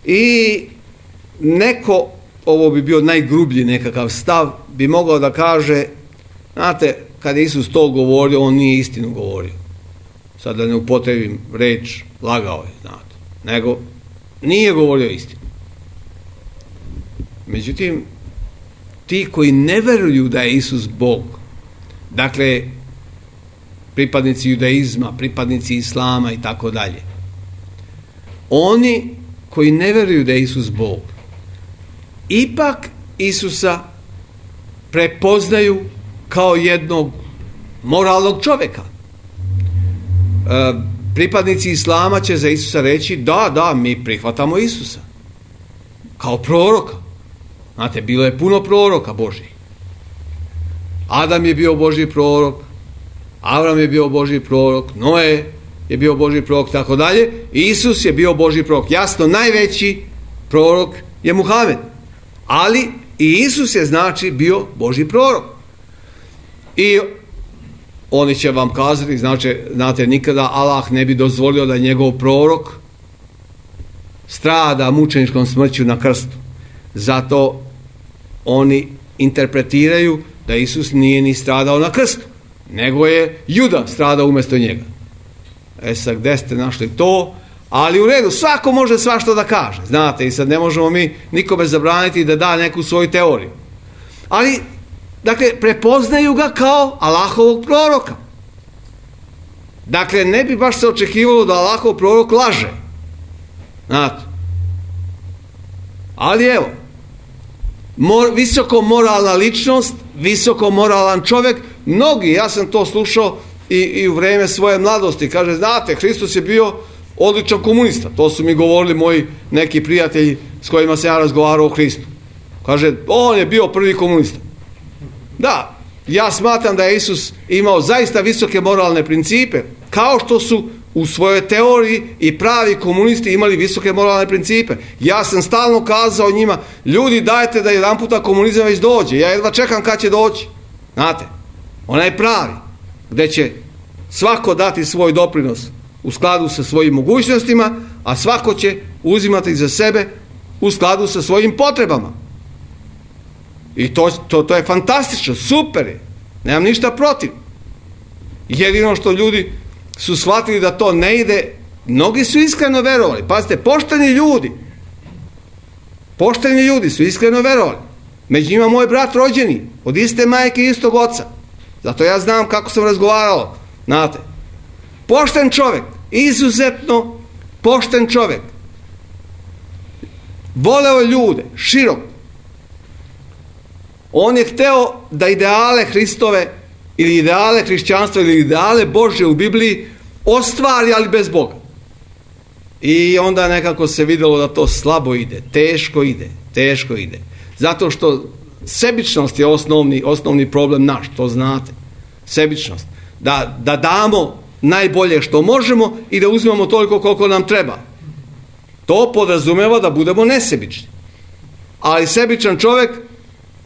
I neko, ovo bi bio najgrublji nekakav stav, bi mogao da kaže, znate, kad je Isus to govorio, on nije istinu govorio. Sad da ne upotrebim reč, lagao je, znate, nego nije govorio istinu. Međutim, ti koji ne veruju da je Isus Bog, dakle, pripadnici judaizma, pripadnici islama i tako dalje, oni koji ne veruju da je Isus Bog, ipak Isusa prepoznaju kao jednog moralnog čovjeka. E, pripadnici islama će za Isusa reći, da, da, mi prihvatamo Isusa kao proroka. Znate, bilo je puno proroka Božih. Adam je bio Božji prorok, Avram je bio Božji prorok, Noe je bio Božji prorok, tako dalje. Isus je bio Božji prorok. Jasno, najveći prorok je Muhamed. Ali i Isus je, znači, bio Božji prorok. I oni će vam kazati, znači, znate, nikada Allah ne bi dozvolio da njegov prorok strada mučeničkom smrću na krstu. Zato oni interpretiraju da Isus nije ni stradao na krstu, nego je Juda stradao umjesto njega. E sad, gde ste našli to? Ali u redu, svako može svašta da kaže, znate, i sad ne možemo mi nikome zabraniti da da neku svoju teoriju. Ali, dakle, prepoznaju ga kao Allahovog proroka. Dakle, ne bi baš se očekivalo da Allahov prorok laže. Znate. Ali evo, mor, visoko moralna ličnost, visoko moralan čovjek, mnogi, ja sam to slušao i, i u vreme svoje mladosti, kaže, znate, Hristos je bio odličan komunista. To su mi govorili moji neki prijatelji s kojima sam ja razgovarao o Hristu. Kaže, on je bio prvi komunista. Da, ja smatram da je Isus imao zaista visoke moralne principe, kao što su u svojoj teoriji i pravi komunisti imali visoke moralne principe. Ja sam stalno kazao njima, ljudi, dajte da jedan puta komunizam već dođe. Ja jedva čekam kad će doći. Znate, onaj pravi, gdje će svako dati svoj doprinos u skladu sa svojim mogućnostima, a svako će uzimati za sebe u skladu sa svojim potrebama. I to, to, to je fantastično, super je. Nemam ništa protiv. Jedino što ljudi su shvatili da to ne ide, mnogi su iskreno verovali. Pazite, pošteni ljudi, pošteni ljudi su iskreno verovali. Među njima moj brat rođeni, od iste majke i istog oca. Zato ja znam kako sam razgovarao. Znate, pošten čovjek, izuzetno pošten čovjek. Voleo ljude, širok. On je hteo da ideale Hristove ili ideale hrišćanstva ili ideale Božje u Bibliji ostvari, ali bez Boga. I onda nekako se vidjelo da to slabo ide, teško ide, teško ide. Zato što sebičnost je osnovni, osnovni problem naš, to znate. Sebičnost. Da, da damo najbolje što možemo i da uzmemo toliko koliko nam treba. To podrazumeva da budemo nesebični. Ali sebičan čovjek,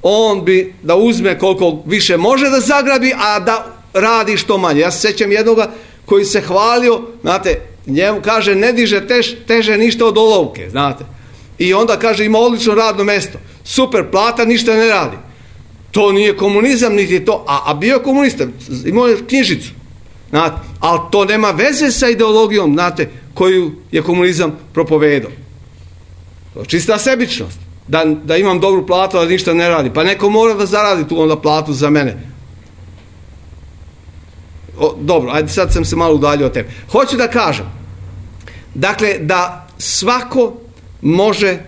on bi da uzme koliko više može da zagrabi, a da radi što manje. Ja se sjećam jednoga koji se hvalio, znate, njemu kaže ne diže tež, teže ništa od olovke, znate. I onda kaže ima odlično radno mjesto, super plata, ništa ne radi. To nije komunizam, niti to, a, a bio je komunista, imao je knjižicu, znate, ali to nema veze sa ideologijom, znate, koju je komunizam propovedao. Čista sebičnost. Da, da imam dobru platu, da ništa ne radi. Pa neko mora da zaradi tu onda platu za mene. o, dobro, ajde sad sam se malo udaljio od tebe. Hoću da kažem, dakle, da svako može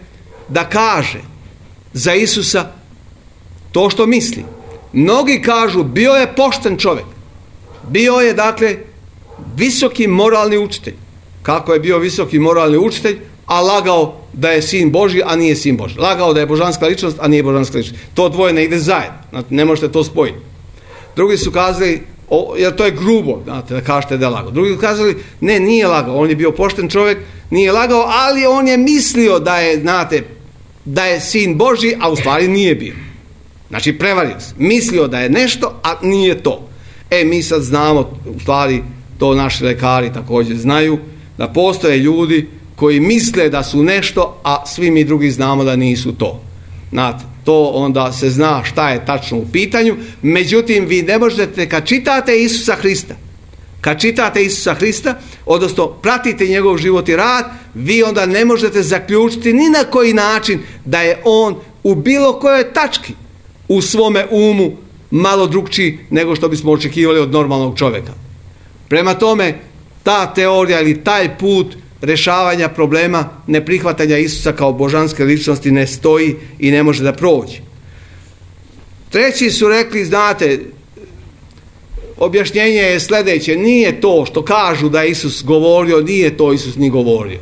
da kaže za Isusa to što misli. Mnogi kažu, bio je pošten čovjek. Bio je, dakle, visoki moralni učitelj. Kako je bio visoki moralni učitelj, a lagao da je sin Božji, a nije sin Božji. Lagao da je božanska ličnost, a nije božanska ličnost. To dvoje ne ide zajedno. Znači, ne možete to spojiti. Drugi su kazali, o, jer to je grubo, znate, da kažete da je lagao. Drugi su kazali, ne, nije lagao. On je bio pošten čovjek, nije lagao, ali on je mislio da je, znate, da je sin Božji, a u stvari nije bio. Znači, prevario se. Mislio da je nešto, a nije to. E, mi sad znamo, u stvari, to naši lekari također znaju, da postoje ljudi koji misle da su nešto, a svi mi drugi znamo da nisu to. Znate, to onda se zna šta je tačno u pitanju. Međutim, vi ne možete, kad čitate Isusa Hrista, kad čitate Isusa Hrista, odnosno pratite njegov život i rad, vi onda ne možete zaključiti ni na koji način da je on u bilo kojoj tački u svome umu malo drugčiji nego što bismo očekivali od normalnog čovjeka. Prema tome, ta teorija ili taj put rješavanja problema neprihvatanja Isusa kao božanske ličnosti ne stoji i ne može da prođe. Treći su rekli, znate, objašnjenje je sljedeće, nije to što kažu da je Isus govorio, nije to Isus ni govorio.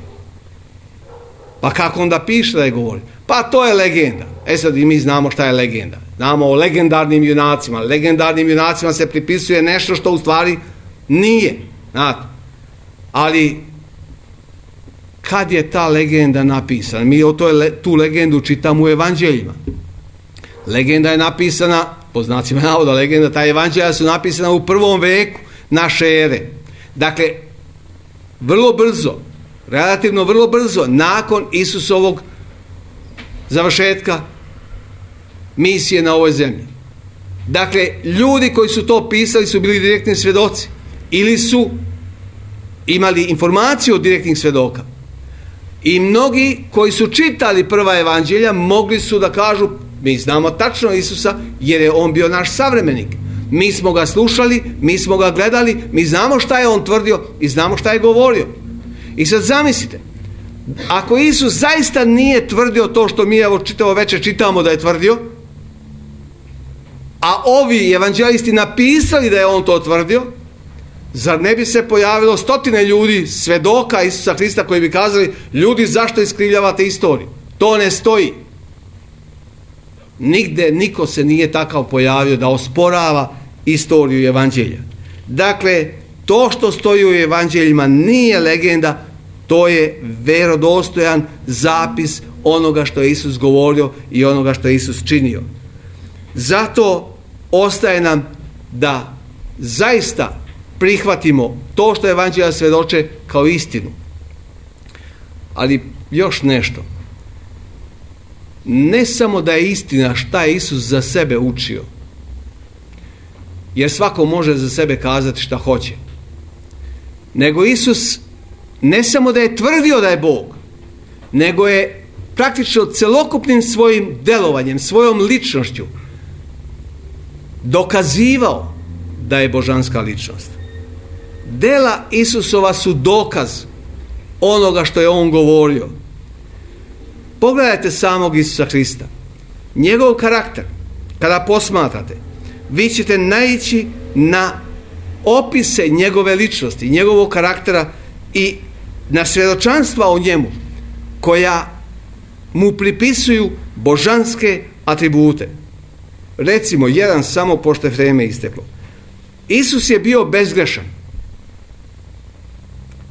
Pa kako onda piše da je govorio? Pa to je legenda. E sad i mi znamo šta je legenda. Znamo o legendarnim junacima. Legendarnim junacima se pripisuje nešto što u stvari nije. Znate. Ali kad je ta legenda napisana? Mi o toj, tu legendu čitamo u evanđeljima. Legenda je napisana, po znacima navoda legenda, ta evanđelja su napisana u prvom veku naše ere. Dakle, vrlo brzo, relativno vrlo brzo, nakon Isusovog završetka misije na ovoj zemlji. Dakle, ljudi koji su to pisali su bili direktni svjedoci ili su imali informaciju od direktnih svjedoka. I mnogi koji su čitali prva evanđelja mogli su da kažu, mi znamo tačno Isusa jer je on bio naš savremenik. Mi smo ga slušali, mi smo ga gledali, mi znamo šta je on tvrdio i znamo šta je govorio. I sad zamislite, ako Isus zaista nije tvrdio to što mi evo čitavo večer čitamo da je tvrdio, a ovi evanđelisti napisali da je on to tvrdio, zar ne bi se pojavilo stotine ljudi, svedoka Isusa Hrista, koji bi kazali, ljudi, zašto iskrivljavate istoriju? To ne stoji. Nigde niko se nije takav pojavio da osporava istoriju evanđelja. Dakle, to što stoji u evanđeljima nije legenda, to je vjerodostojan zapis onoga što je Isus govorio i onoga što je Isus činio. Zato ostaje nam da zaista prihvatimo to što evanđelja svjedoče kao istinu. Ali još nešto. Ne samo da je istina šta je Isus za sebe učio, jer svako može za sebe kazati šta hoće, nego Isus ne samo da je tvrdio da je Bog, nego je praktično celokupnim svojim delovanjem, svojom ličnošću dokazivao da je božanska ličnost. Dela Isusova su dokaz onoga što je on govorio. Pogledajte samog Isusa Hrista. Njegov karakter, kada posmatrate, vi ćete naići na opise njegove ličnosti, njegovog karaktera i na svjedočanstva o njemu, koja mu pripisuju božanske atribute. Recimo, jedan samo, pošto je vreme isteklo. Isus je bio bezgrešan.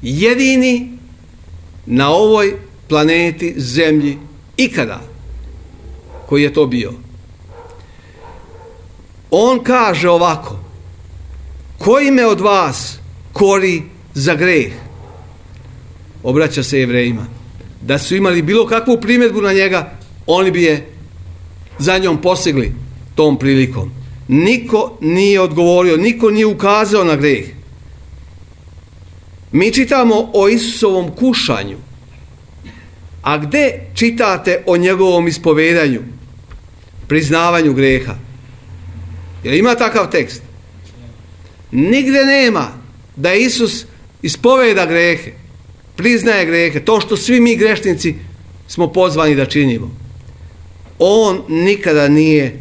Jedini na ovoj planeti, zemlji, ikada, koji je to bio. On kaže ovako: koji me od vas kori za greh? Obraća se Jevrejima. Da su imali bilo kakvu primjedbu na njega, oni bi je za njom posegli tom prilikom. Niko nije odgovorio, niko nije ukazao na greh. Mi čitamo o Isusovom kušanju, a gde čitate o njegovom ispovedanju, priznavanju greha? Jer ima takav tekst? Nigdje nema da Isus ispoveda grehe, priznaje grehe, to što svi mi grešnici smo pozvani da činimo. On nikada nije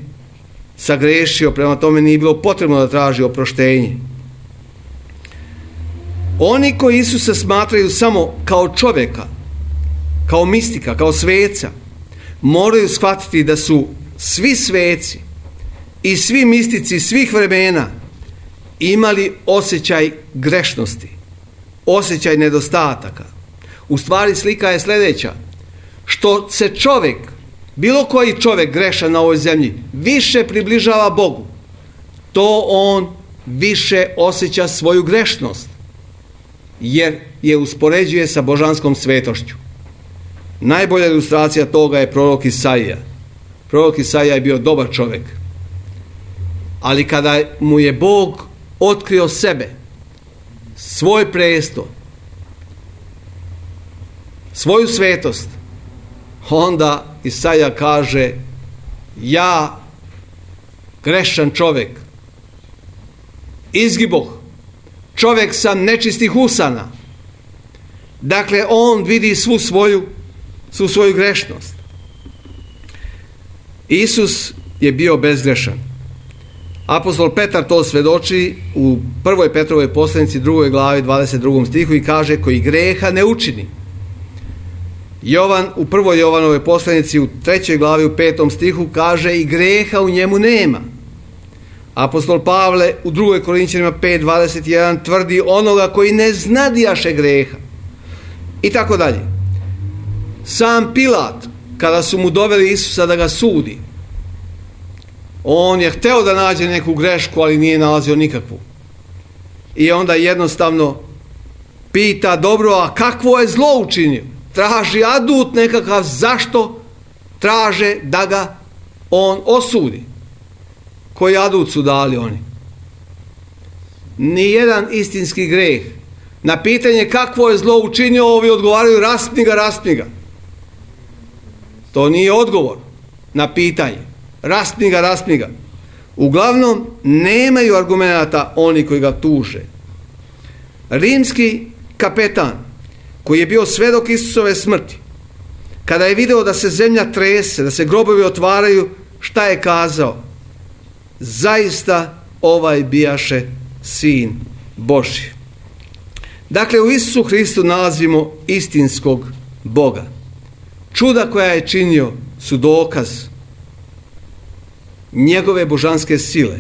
sagrešio, prema tome nije bilo potrebno da traži oproštenje. Oni koji Isusa smatraju samo kao čovjeka, kao mistika, kao sveca, moraju shvatiti da su svi sveci i svi mistici svih vremena imali osjećaj grešnosti, osjećaj nedostataka. U stvari slika je sljedeća: što se čovjek, bilo koji čovjek grešan na ovoj zemlji, više približava Bogu, to on više osjeća svoju grešnost, jer je uspoređuje sa božanskom svetošću. Najbolja ilustracija toga je prorok Isaija. Prorok Isaija je bio dobar čovjek, ali kada mu je Bog otkrio sebe, svoj presto, svoju svetost, onda Isaija kaže: ja, grešan čovjek, izgiboh, čovjek sam nečistih usana. Dakle, on vidi svu svoju, svu svoju grešnost. Isus je bio bezgrešan. Apostol Petar to svjedoči u prvoj Petrovoj poslanici, drugoj glavi, dvadeset drugom stihu, i kaže: koji greha ne učini. Jovan u prvoj Jovanovoj poslanici u trećoj glavi u petom stihu kaže: i greha u njemu nema. Apostol Pavle u drugoj Korinćanima pet dvadeset jedan tvrdi: onoga koji ne znadijaše greha. I tako dalje. Sam Pilat, kada su mu doveli Isusa da ga sudi, on je hteo da nađe neku grešku, ali nije nalazio nikakvu. I onda jednostavno pita: dobro, a kakvo je zlo učinio? Traži adut nekakav, zašto traže da ga on osudi. Koji adut su dali oni? Nijedan istinski greh. Na pitanje kakvo je zlo učinio, ovi odgovaraju: raspni ga, raspni ga. To nije odgovor na pitanje. Raspni ga, raspni ga. Uglavnom, nemaju argumenata oni koji ga tuže. Rimski kapetan, koji je bio svedok Isusove smrti, kada je video da se zemlja trese, da se grobovi otvaraju, šta je kazao? Zaista ovaj bijaše sin Božji. Dakle, u Isusu Hristu nalazimo istinskog Boga. Čuda koja je činio su dokaz njegove božanske sile.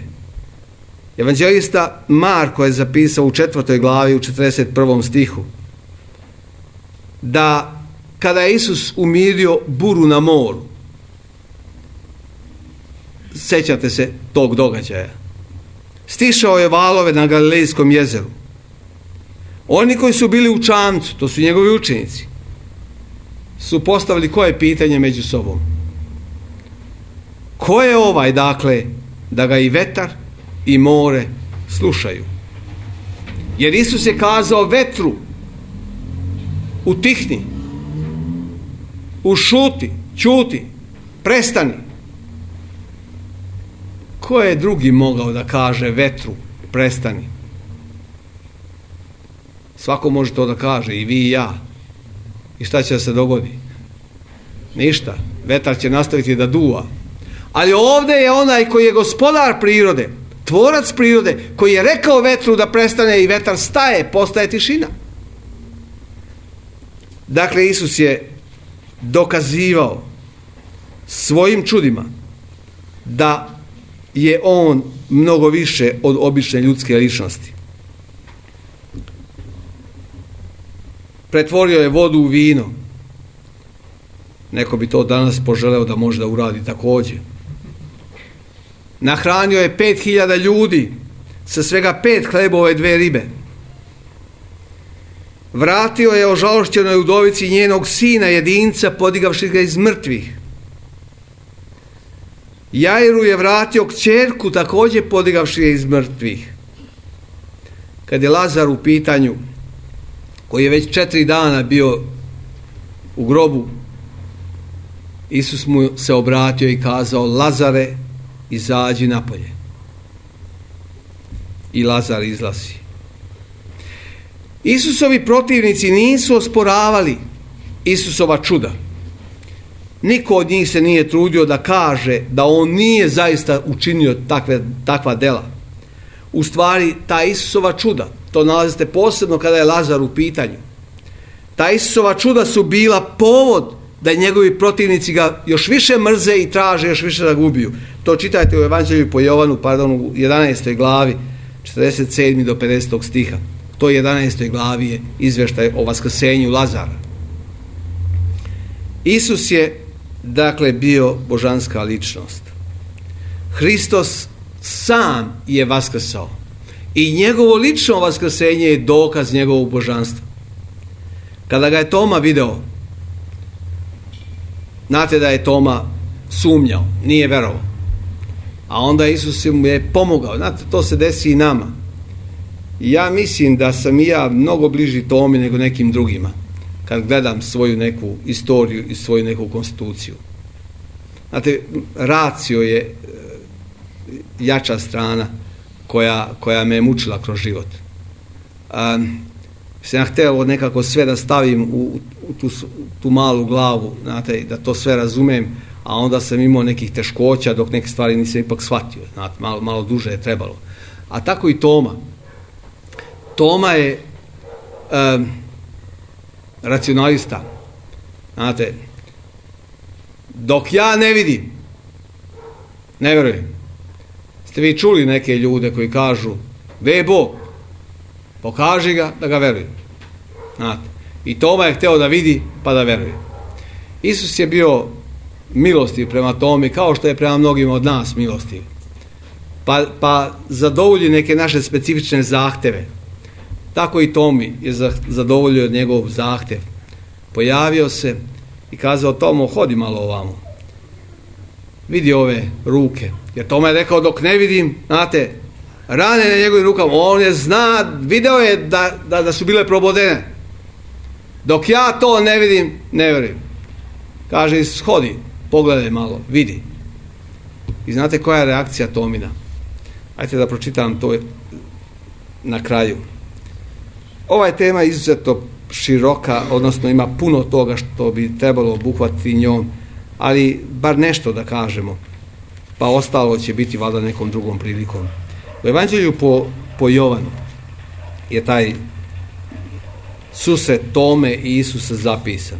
Evanđelista Marko je zapisao u četvrtoj glavi u četrdeset prvom stihu da kada je Isus umirio buru na moru, sjećate se tog događaja, stišao je valove na Galilejskom jezeru. Oni koji su bili u čamcu, to su njegovi učenici, su postavili koje pitanje među sobom? Ko je ovaj, dakle, da ga i vetar i more slušaju? Jer Isus je kazao vetru: utihni, ušuti, ćuti, prestani. Ko je drugi mogao da kaže vetru prestani? Svako može to da kaže, i vi i ja. I šta će da se dogodi? Ništa. Vetar će nastaviti da duva. Ali ovdje je onaj koji je gospodar prirode, tvorac prirode, koji je rekao vetru da prestane i vetar staje, postaje tišina. Dakle, Isus je dokazivao svojim čudima da je on mnogo više od obične ljudske ličnosti. Pretvorio je vodu u vino. Neko bi to danas poželeo da može da uradi također. Nahranio je pet hiljada ljudi sa svega pet hlebova i dve ribe. Vratio je ožalošćenoj udovici njenog sina jedinca, podigavši ga iz mrtvih. Jairu je vratio kćerku, također podigavši je iz mrtvih. Kad je Lazar u pitanju, koji je već četiri dana bio u grobu, Isus mu se obratio i kazao: Lazare, izađi napolje. i Lazar izlazi. Isusovi protivnici nisu osporavali Isusova čuda. Niko od njih se nije trudio da kaže da on nije zaista učinio takve, takva dela. U stvari, ta Isusova čuda, to nalazite posebno kada je Lazar u pitanju, ta Isusova čuda su bila povod da njegovi protivnici ga još više mrze i traže još više da ga ubiju. To čitajte u Evanđelju po Jovanu, pardon, u jedanaestoj glavi, četrdeset sedmi do pedesetog stiha. U toj jedanaestoj glavi je izvještaj o vaskrsenju Lazara. Isus je, dakle, bio božanska ličnost. Hristos sam je vaskrsao i njegovo lično vaskrsenje je dokaz njegovog božanstva. Kada ga je Toma video, znate da je Toma sumnjao, nije verovao, a onda Isus mu je pomogao. Znate, to se desi i nama. I ja mislim da sam i ja mnogo bliži Tomi nego nekim drugima kad gledam svoju neku istoriju i svoju neku konstituciju. Znate, racio je jača strana koja, koja me je mučila kroz život. Um, sam ja htio nekako sve da stavim u, u tu, tu malu glavu, znate, da to sve razumem, a onda sam imao nekih teškoća dok neke stvari nisam ipak shvatio. Znate, malo, malo duže je trebalo. A tako i Toma. Toma je um, racionalista. Znate, dok ja ne vidim, ne vjerujem. Ste vi čuli neke ljude koji kažu, gdje je Bog? Pokaži ga da ga verujem. Znate, i Toma je htio da vidi pa da veruje. Isus je bio milostiv prema Tomi kao što je prema mnogima od nas milostiv. Pa, pa zadovolji neke naše specifične zahteve. Tako i Tomi je zadovoljio njegov zahtev. Pojavio se i kazao, Tomo, hodi malo ovamo. Vidi ove ruke. Jer Toma je rekao, dok ne vidim, znate, rane na njegovim rukama, on je zna, video je da, da, da su bile probodene. Dok ja to ne vidim, ne vjerujem. Kaže, shodi, pogledaj malo, vidi. I znate koja je reakcija Tomina? Ajde da pročitam to na kraju. Ova je tema izuzetno široka, odnosno ima puno toga što bi trebalo obuhvatiti njom, ali bar nešto da kažemo, pa ostalo će biti valjda nekom drugom prilikom. U Evanđelju po, po Jovanu je taj susret Tome i Isusa zapisan.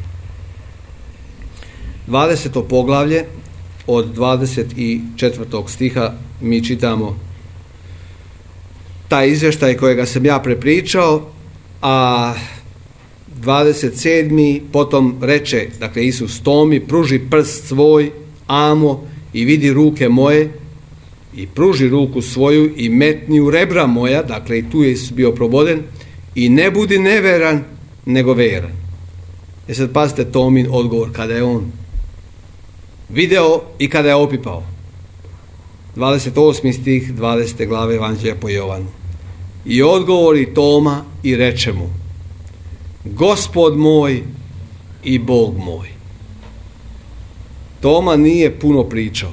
dvadeseto poglavlje od dvadeset četvrtog stiha mi čitamo taj izvještaj kojega sam ja prepričao, a dvadeset sedmi potom reče, dakle Isus Tomi, pruži prst svoj, amo, i vidi ruke moje, i pruži ruku svoju i metni u rebra moja, dakle i tu je Isus bio proboden, i ne budi neveran, nego veran. E sad pazite Tomin odgovor kada je on video i kada je opipao. dvadeset osmi stih dvadesete glave Evanđelja po Jovanu. I odgovori Toma i reče mu, Gospod moj i Bog moj. Toma nije puno pričao.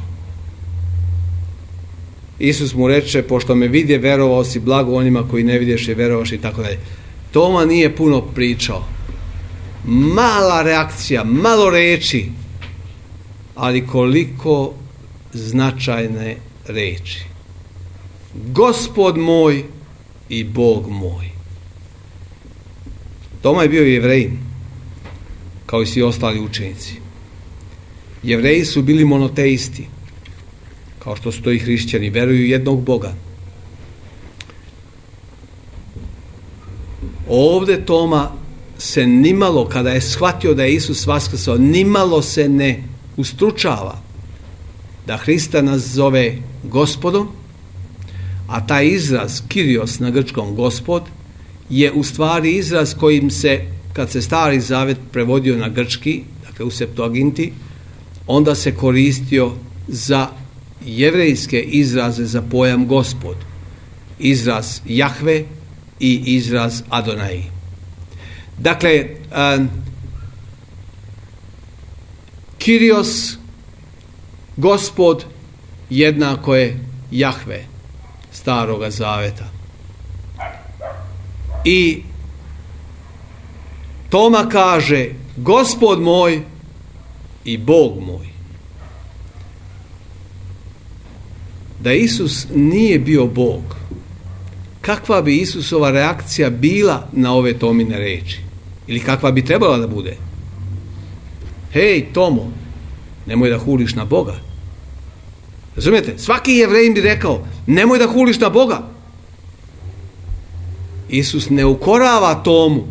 Isus mu reče, pošto me vidje, verovao si, blago onima koji ne vidješe, verovaš i tako dalje. Toma nije puno pričao. Mala reakcija, malo reči, ali koliko značajne reči. Gospod moj i Bog moj. Toma je bio Jevrejin, kao i svi ostali učenici. Jevreji su bili monoteisti, kao što su to i hrišćani, veruju jednog Boga. Ovdje Toma se nimalo, kada je shvatio da je Isus vaskrsao, nimalo se ne ustručava da Hrista nazove Gospodom, a taj izraz Kyrios na grčkom Gospod je u stvari izraz kojim se, kad se Stari Zavet prevodio na grčki, dakle u Septuaginti, onda se koristio za jevrejske izraze za pojam Gospod. Izraz Jahve i izraz Adonai. Dakle, um, Kyrios, Gospod, jednako je Jahve Staroga Zaveta. I Toma kaže: Gospod moj i Bog moj. Da Isus nije bio Bog, kakva bi Isusova reakcija bila na ove Tomine reči? Ili kakva bi trebala da bude? Hej, Tomo, nemoj da huliš na Boga. Razumijete? Svaki Jevrejin bi rekao: nemoj da huliš na Boga. Isus ne ukorava Tomu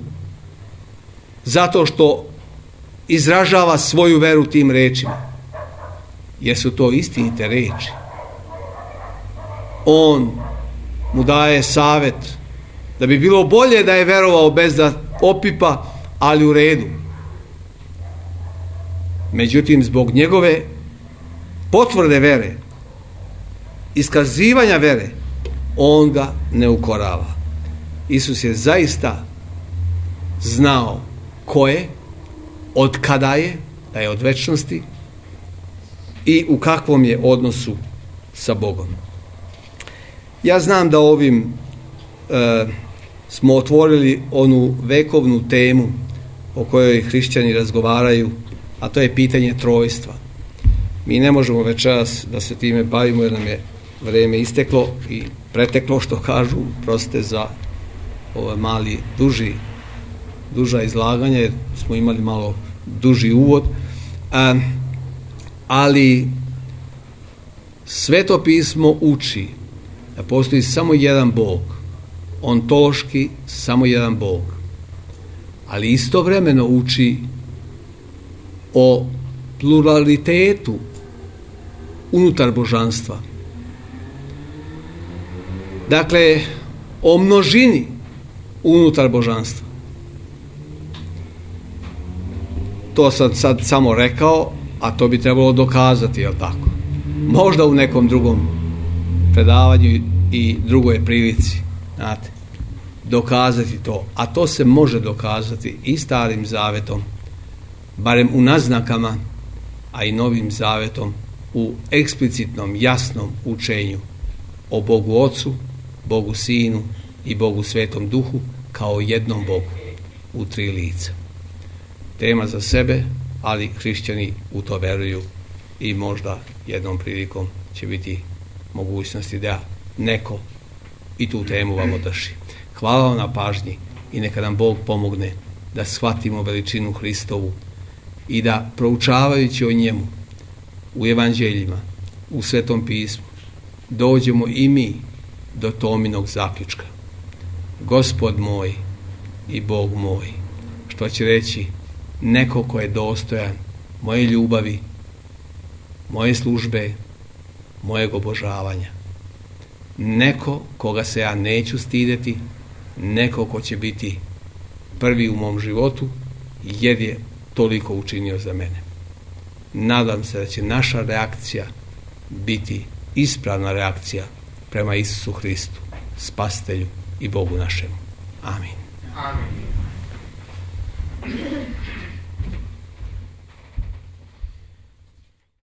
zato što izražava svoju veru tim rečima, jer su to istinite reči. On mu daje savjet da bi bilo bolje da je verovao bez da opipa, ali u redu. Međutim, zbog njegove potvrde vere, iskazivanja vere, on ga ne ukorava. Isus je zaista znao ko je, od kada je, da je od večnosti i u kakvom je odnosu sa Bogom. Ja znam da ovim e, smo otvorili onu vekovnu temu o kojoj hrišćani razgovaraju, a to je pitanje trojstva. Mi ne možemo večeras da se time bavimo jer nam je vrijeme isteklo i preteklo, što kažu, prostite za ovaj mali, duži, duža izlaganja, jer smo imali malo duži uvod. A, ali Sveto pismo uči da postoji samo jedan Bog, ontološki samo jedan Bog, ali istovremeno uči o pluralitetu unutar božanstva. Dakle, o množini unutar božanstva. To sam sad samo rekao, a to bi trebalo dokazati, jel tako? Možda u nekom drugom predavanju i drugoj prilici, znate, dokazati to. A to se može dokazati i Starim zavetom, barem u naznakama, a i Novim zavetom u eksplicitnom, jasnom učenju o Bogu Ocu, Bogu Sinu i Bogu Svetom Duhu kao jednom Bogu u tri lica. Tema za sebe, ali hrišćani u to veruju i možda jednom prilikom će biti mogućnosti da neko i tu temu vam održi. Hvala vam na pažnji i neka nam Bog pomogne da shvatimo veličinu Hristovu i da, proučavajući o njemu u evanđeljima, u Svetom pismu, dođemo i mi do Tominog zaključka: Gospod moj i Bog moj, što će reći neko ko je dostojan moje ljubavi, moje službe, mojeg obožavanja. Neko koga se ja neću stideti, neko ko će biti prvi u mom životu jer je toliko učinio za mene. Nadam se da će naša reakcija biti ispravna reakcija prema Isusu Hristu, Spasitelju i Bogu našemu. Amin. Amin.